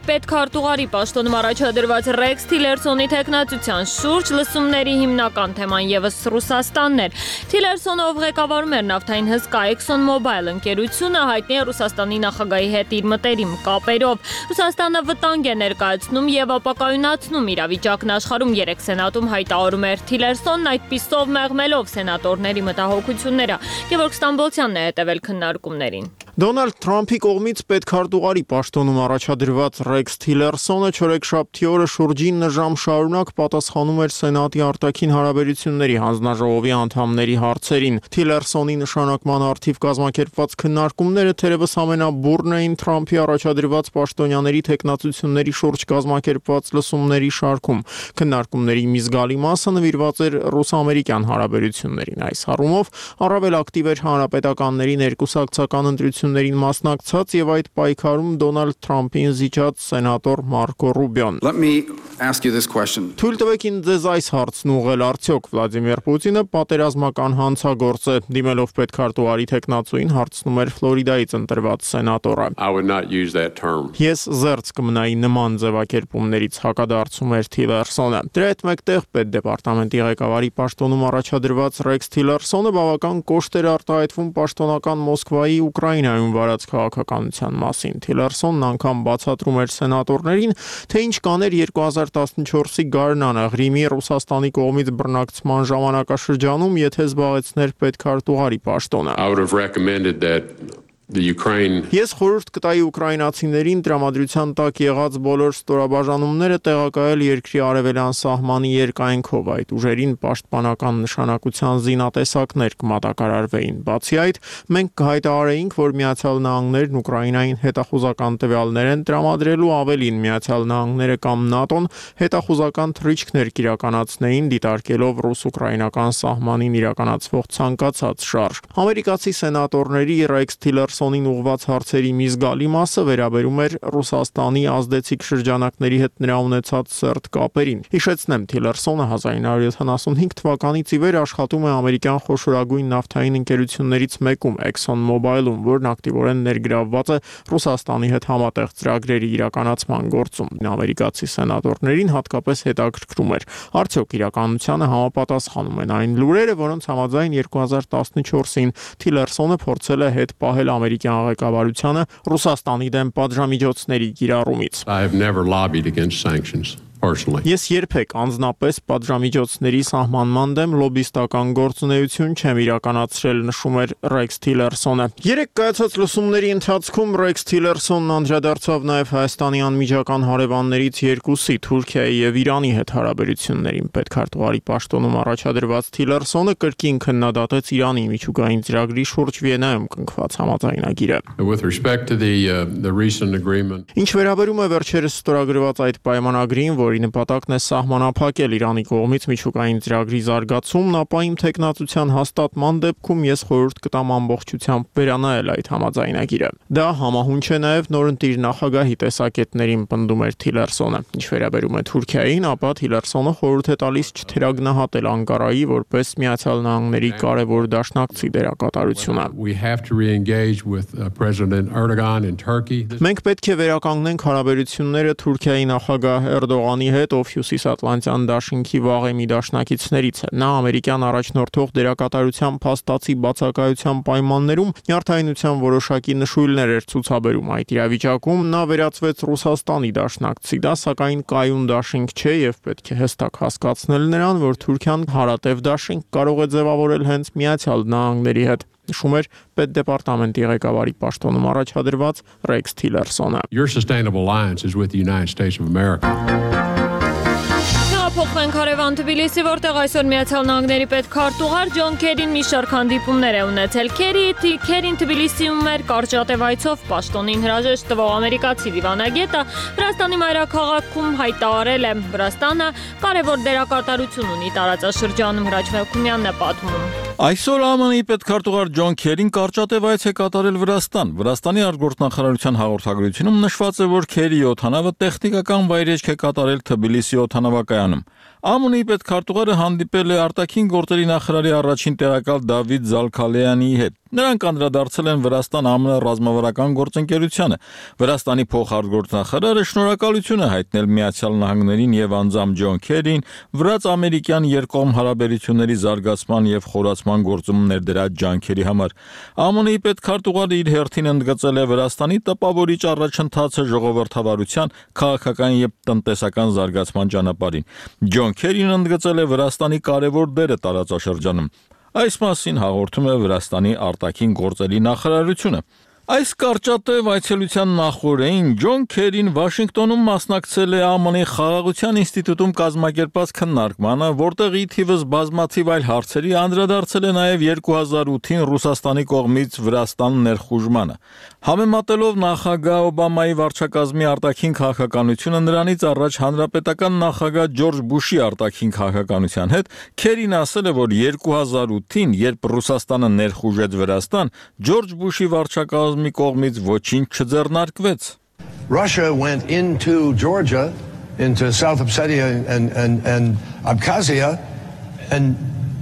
Speaker 1: պետքարտուղարի պաշտոնում առաջադրված Ռեքս Թիլերսոնի թեկնածության շուրջ լսումների հիմնական թեման ևս Ռուսաստանն էր։ Թիլերսոնը, ով ղեկավարում էր նավթային հսկա Exxon Mobil ընկերությունը, հայտնի է Ռուսաստանի նախագահի հետ իր մտերիմ կապերով։ Ռուսաստանը վտանգ է ներկայացնում եւ ապակայունացնում իրավիճակն աշխարհում, երեք սենատում հայտարարում էր Թիլերսոնն, այդպիսով մեղմելով սենատորների մտահոգությունները։ Գևորգ Ստամբոլցյանն է հետևել քննարկումներին։
Speaker 13: Դոնալդ Թրամփի կողմից պետքարտուղարի պաշտոնում առաջադրված Ռեքս Թիլերսոնը չորեքշաբթի օրը շուրջին ժամ շարունակ պատասխանում էր Սենատի արտաքին հարաբերությունների հանձնաժողովի անդամների հարցերին։ Թիլերսոնի նշանակման առթիվ կազմակերպված քննարկումները թերևս ամենաբուրն էին Թրամփի առաջադրված պաշտոնյաների թեկնածությունների շուրջ կազմակերպված լսումների շարքում։ Քննարկումների մի զգալի մասը նվիրված էր ռուս-ամերիկյան հարաբերություններին։ Այս առումով առավել ակտիվ էր հանրապետականների ներկուսակցական ընտրություններին մասնակցած եւ այդ պայքարում Դոնալդ Թրամփին զիջած սենատոր Մարկո Ռուբիոն։ Թույլ տվեք ինձ ձեզ այս հարցն ուղղել, արդյոք Վլադիմիր Պուտինը պատերազմական հանցագործ է, դիմելով պետքարտուղարի թեկնածուին հարցնում էր Ֆլորիդայից ընտրված սենատորը։ Ես զերծ կմնայի նման ձևակերպումներից, հակադարձում էր Թիլերսոնը։ Դրա հետ մեկտեղ պետդեպարտամենտի ղեկավարի պաշտոնում առաջադրված Ռեքս Թիլերսոնը բավական կոշտ էր արտահայտվում պաշտոնական Մոսկվայի Ուկրաինա Վիրջինիայում վարած քաղաքականության մասին։ Թիլերսոնն անգամ բացատրում էր սենատորներին, թե ինչ կաներ երկու հազար տասնչորսի գարնանը Ղրիմի Ռուսաստանի կողմից բռնակցման ժամանակաշրջանում, եթե զբաղեցներ պետքարտուղարի պաշտոնը։ Ես խորհուրդ կտայի ուկրաինացիներին տրամադրության տակ եղած բոլոր ստորաբաժանումները տեղակայել երկրի արևելյան սահմանի երկայնքով, այդ ուժերին պաշտպանական նշանակության զինատեսակներ կմատակարարվեին։ Բացի այդ, մենք կհայտարարեինք, որ Միացյալ Նահանգներն Ուկրաինային հետախուզական տվյալներ են տրամադրելու, ավելին Միացյալ Նահանգները կամ ՆԱՏՕ-ն հետախուզական թռիչքներ կիրականացնեին, դիտարկելով ռուս-ուկրաինական սահմանին իրականացվող ցանկացած շարժ։ Ամերիկացի սենատորների Ռեքս Թիլերսոնին ուղղված հարցերի մի զգալի մասը վերաբերում էր Ռուսաստանի ազդեցիկ շրջանակների հետ նրա ունեցած սերտ կապերին։ Հիշեցնեմ, Թիլերսոնը հազար նույն հարյուր յոթանասունհինգ թվականից ի վեր աշխատում է ամերիկյան խոշորագույն նավթային ընկերություններից մեկում Exxon Mobil-ում, որն ակտիվորեն ներգրավված է Ռուսաստանի հետ համատեղ ծրագրերի իրականացման գործում։ Ամերիկացի սենատորներին հատկապես հետաքրքրում էր, արդյոք իրականությանը համապատասխանում են այն լուրերը, որոնց համաձայն երկու հազար տասնչորսին Թիլերսոնը փորձել է հետ պահել ամերիկյան ղեկավարությանը Ռուսաստանի դեմ պատժամիջոցների կիրառումից։ Ես երբեք անձնապես պատժամիջոցների սահմանման դեմ լոբիստական գործունեություն չեմ իրականացրել, նշում էր Ռեքս Թիլերսոնը։ Երեք կայացած լսումների ընթացքում Ռեքս Թիլերսոնն անդրադարձավ նաև Հայաստանի անմիջական հարևաններից երկուսի՝ Թուրքիայի եւ Իրանի հետ հարաբերություններին։ Պետքարտուղարի պաշտոնում առաջադրված Թիլերսոնը կրկին քննադատեց Իրանի միջուկային ծրագրի շուրջ Վիեննայում կնքված համաձայնագիրը։ Ինչ վերաբերում է վերջերս ստորագրված այդ պայմանագրին, որի նպատակն է սահմանափակել Իրանի կողմից միջուկային ծրագրի զարգացումն, ապա իմ թեկնածության հաստատման դեպքում ես խորհուրդ կտամ ամբողջությամբ վերանայել այդ համաձայնագիրը։ Դա համահունչ է նաև նորընտիր նախագահի տեսակետներին, պնդում էր Թիլերսոնը։ Ինչ վերաբերում է Թուրքիային, ապա Թիլերսոնը խորհուրդ է տալիս չթերագնահատել Անկարայի որպես Միացյալ Նահանգների կարևոր դաշնակցի դերակատարությունը։ Մենք պետք է վերականգնենք հարաբերությունները Թուրքիայի նախագահ Էրդողանի հետ, ով Հյուսիսատլանտյան դաշինքի վաղեմի դաշնակիցներից է։ Նա ամերիկյան առաջնորդող դերակատարության փաստացի բացակայության պայմաններում նյարդայնության որոշակի նշույլներ էր ցուցաբերում։ Այդ իրավիճակում նա վերածվեց Ռուսաստանի դաշնակցի։ Դա սակայն կայուն դաշինք չէ եւ պետք է հստակ հասկացնել նրան, որ Թուրքիան հարատև դաշինք կարող է ձևավորել հենց Միացյալ Նահանգների հետ, նշում էր պետդեպարտամենտի ղեկավարի պաշտոնում առաջադրված Ռեքս Թիլերսոնը։
Speaker 1: Փոխենք հարևան Թբիլիսի, որտեղ այսօր Միացյալ Նահանգների պետքարտուղար Ջոն Քերին մի շարք հանդիպումներ է ունեցել։ Քերին Թբիլիսիում էր կարճատև այցով պաշտոնին հրաժեշտ տվող ամերիկացի դիվանագետը Վրաստանի մայրաքաղաքում հայտարարել է, Վրաստանը կարևոր դերակատարություն ունի տարածաշրջանում, Հրաչ Մելքումյանն է պատմում։
Speaker 11: Այսօր ԱՄՆ-ի պետքարտուղար Ջոն Քերին կարճատև այց է կատարել Վրաստան։ Վրաստանի արտգործնախարարության հաղորդագրությունում նշված է, որ Քերիի օդանավը տեխնիկական վայրեջք է կատարել Թբիլիսի օդանավակայանում։ ԱՄՆ-ի պետքարտուղարը հանդիպել է արտաքին գործերի նախարարի առաջին տեղակալ Դավիթ Զալքալեյանի հետ։ Նրանք անդրադարձել են Վրաստան-ԱՄՆ ռազմավարական գործընկերությանը։ Վրաստանի փոխարտգործնախարարը շնորհակալություն է հայտնել Միացյալ Նահանգներին եւ անձամբ Ջոն Քերին վրաց-ամերիկյան երկկողմ հարաբերությունների զարգացման եւ խորացման գործում ներդրած ջանքերի համար։ ԱՄՆ-ի պետքարտուղարը իր հերթին ընդգծել է Վրաստանի տպավորիչ առաջընթացը ժողովրդավարության, քաղաքական եւ տնտեսական զարգացման ճանապարհին։ Ջոն Քերին ընդգծել է Վրաստանի կարևոր դերը տարածաշրջանում։ Այս մասին հաղորդում է Վրաստանի արտաքին գործերի նախարարությունը։ Այս կարճատև այցելության նախօրեին Ջոն Քերին Վաշինգտոնում մասնակցել է ԱՄՆ-ի Խաղաղության ինստիտուտում կազմակերպած քննարկմանը, որտեղ ի թիվս բազմաթիվ այլ հարցերի անդրադարձել է նաև երկու հազար ութին Ռուսաստանի կողմից Վրաստան ներխուժմանը։ Համեմատելով նախագահ Օբամայի վարչակազմի արտաքին քաղաքականությունը նրանից առաջ հանրապետական նախագահ Ջորջ Բուշի արտաքին քաղաքականության հետ, Քերին ասել է, որ երկու հազար ութին, երբ Ռուսաստանը ներխուժեց Վրաստան, Ջորջ Բուշի վարչակազմի կողմից ոչինչ չձեռնարկվեց.
Speaker 14: Russia went into Georgia, into South Ossetia and, and, and Abkhazia, and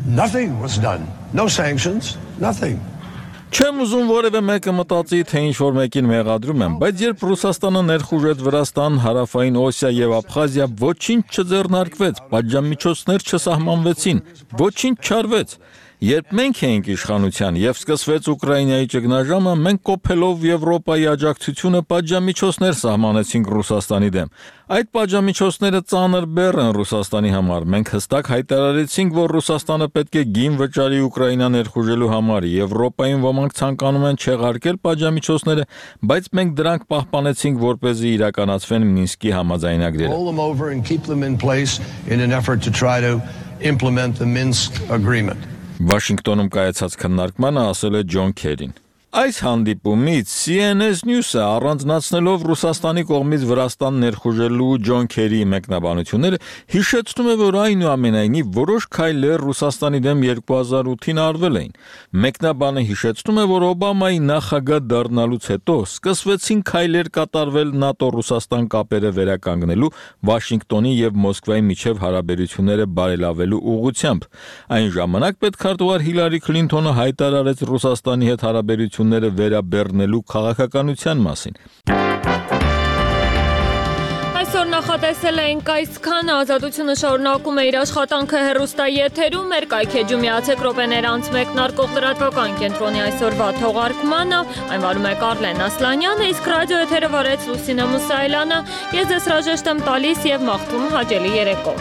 Speaker 14: nothing was done. No sanctions, nothing.
Speaker 11: Չեմ ուզում որևէ մեկը մտածի, թե ինչ-որ մեկին մեղադրում եմ, բայց երբ Ռուսաստանը ներխուժեց Վրաստան, Հարավային Օսիա եւ Աբխազիա, ոչինչ չձեռնարկվեց, պատժամիջոցներ չսահմանվեցին, ոչինչ չարվեց։ Երբ մենք էինք իշխանության եւ սկսվեց Ուկրաինայի ճգնաժամը, մենք կոփելով Եվրոպայի աջակցությունը պատժամիջոցներ սահմանեցինք Ռուսաստանի դեմ։ Այդ պատժամիջոցները ծանր բեռ են Ռուսաստանի համար։ Մենք հստակ հայտարարեցինք, որ Ռուսաստանը պետք է գին վճարի Ուկրաինա ներխուժելու համար։ Եվրոպային ոմանք ցանկանում են չեղարկել պատժամիջոցները, բայց մենք դրանք պահպանեցինք, որպեսզի իրականացվեն Մինսկի համաձայնագրերը։
Speaker 14: Implement the Minsk agreement.
Speaker 11: Վաշինգտոնում կայացած քննարկմանը ասել է Ջոն Քերին։ Այս հանդիպումից C N S News-ը առանձնացնելով Ռուսաստանի կողմից Վրաստան ներխուժելու Ջոն Քերիի մեկնաբանությունները հիշեցնում է, որ այնուամենայնիվ որոշ քայլեր Ռուսաստանի դեմ երկու հազար ութին արվել էին։ Մեկնաբանը հիշեցնում է, որ Օբամայի նախագահ դառնալուց հետո սկսվեցին քայլեր կատարվել ՆԱՏՕ-Ռուսաստան կապերը վերականգնելու, Վաշինգտոնի եւ Մոսկվայի միջև հարաբերությունները բարելավելու ուղղությամբ։ Այն ժամանակ պետքարտուղար Հիլարի Քլինթոնը հայտարարեց Ռուսաստանի հետ հարաբերությունները վերաբեռնելու քաղաքականության մասին։
Speaker 1: Այսօր նախատեսել ենք այսքան, Ազատությունը շարունակում է իր աշխատանքը հեռուստայի եթերում, մեր կայքեջում միացեք րոպեներ անց մեկնարկող լրատվական կենտրոնի այսօրվա թողարկմանը, այն վարում է Կարլեն Ասլանյանը, իսկ ռադիո եթերը վարեց Լուսինե Մուսայելյանը, ես ձեզ հրաժեշտ եմ տալիս եւ մաղթում հաճելի երեկո։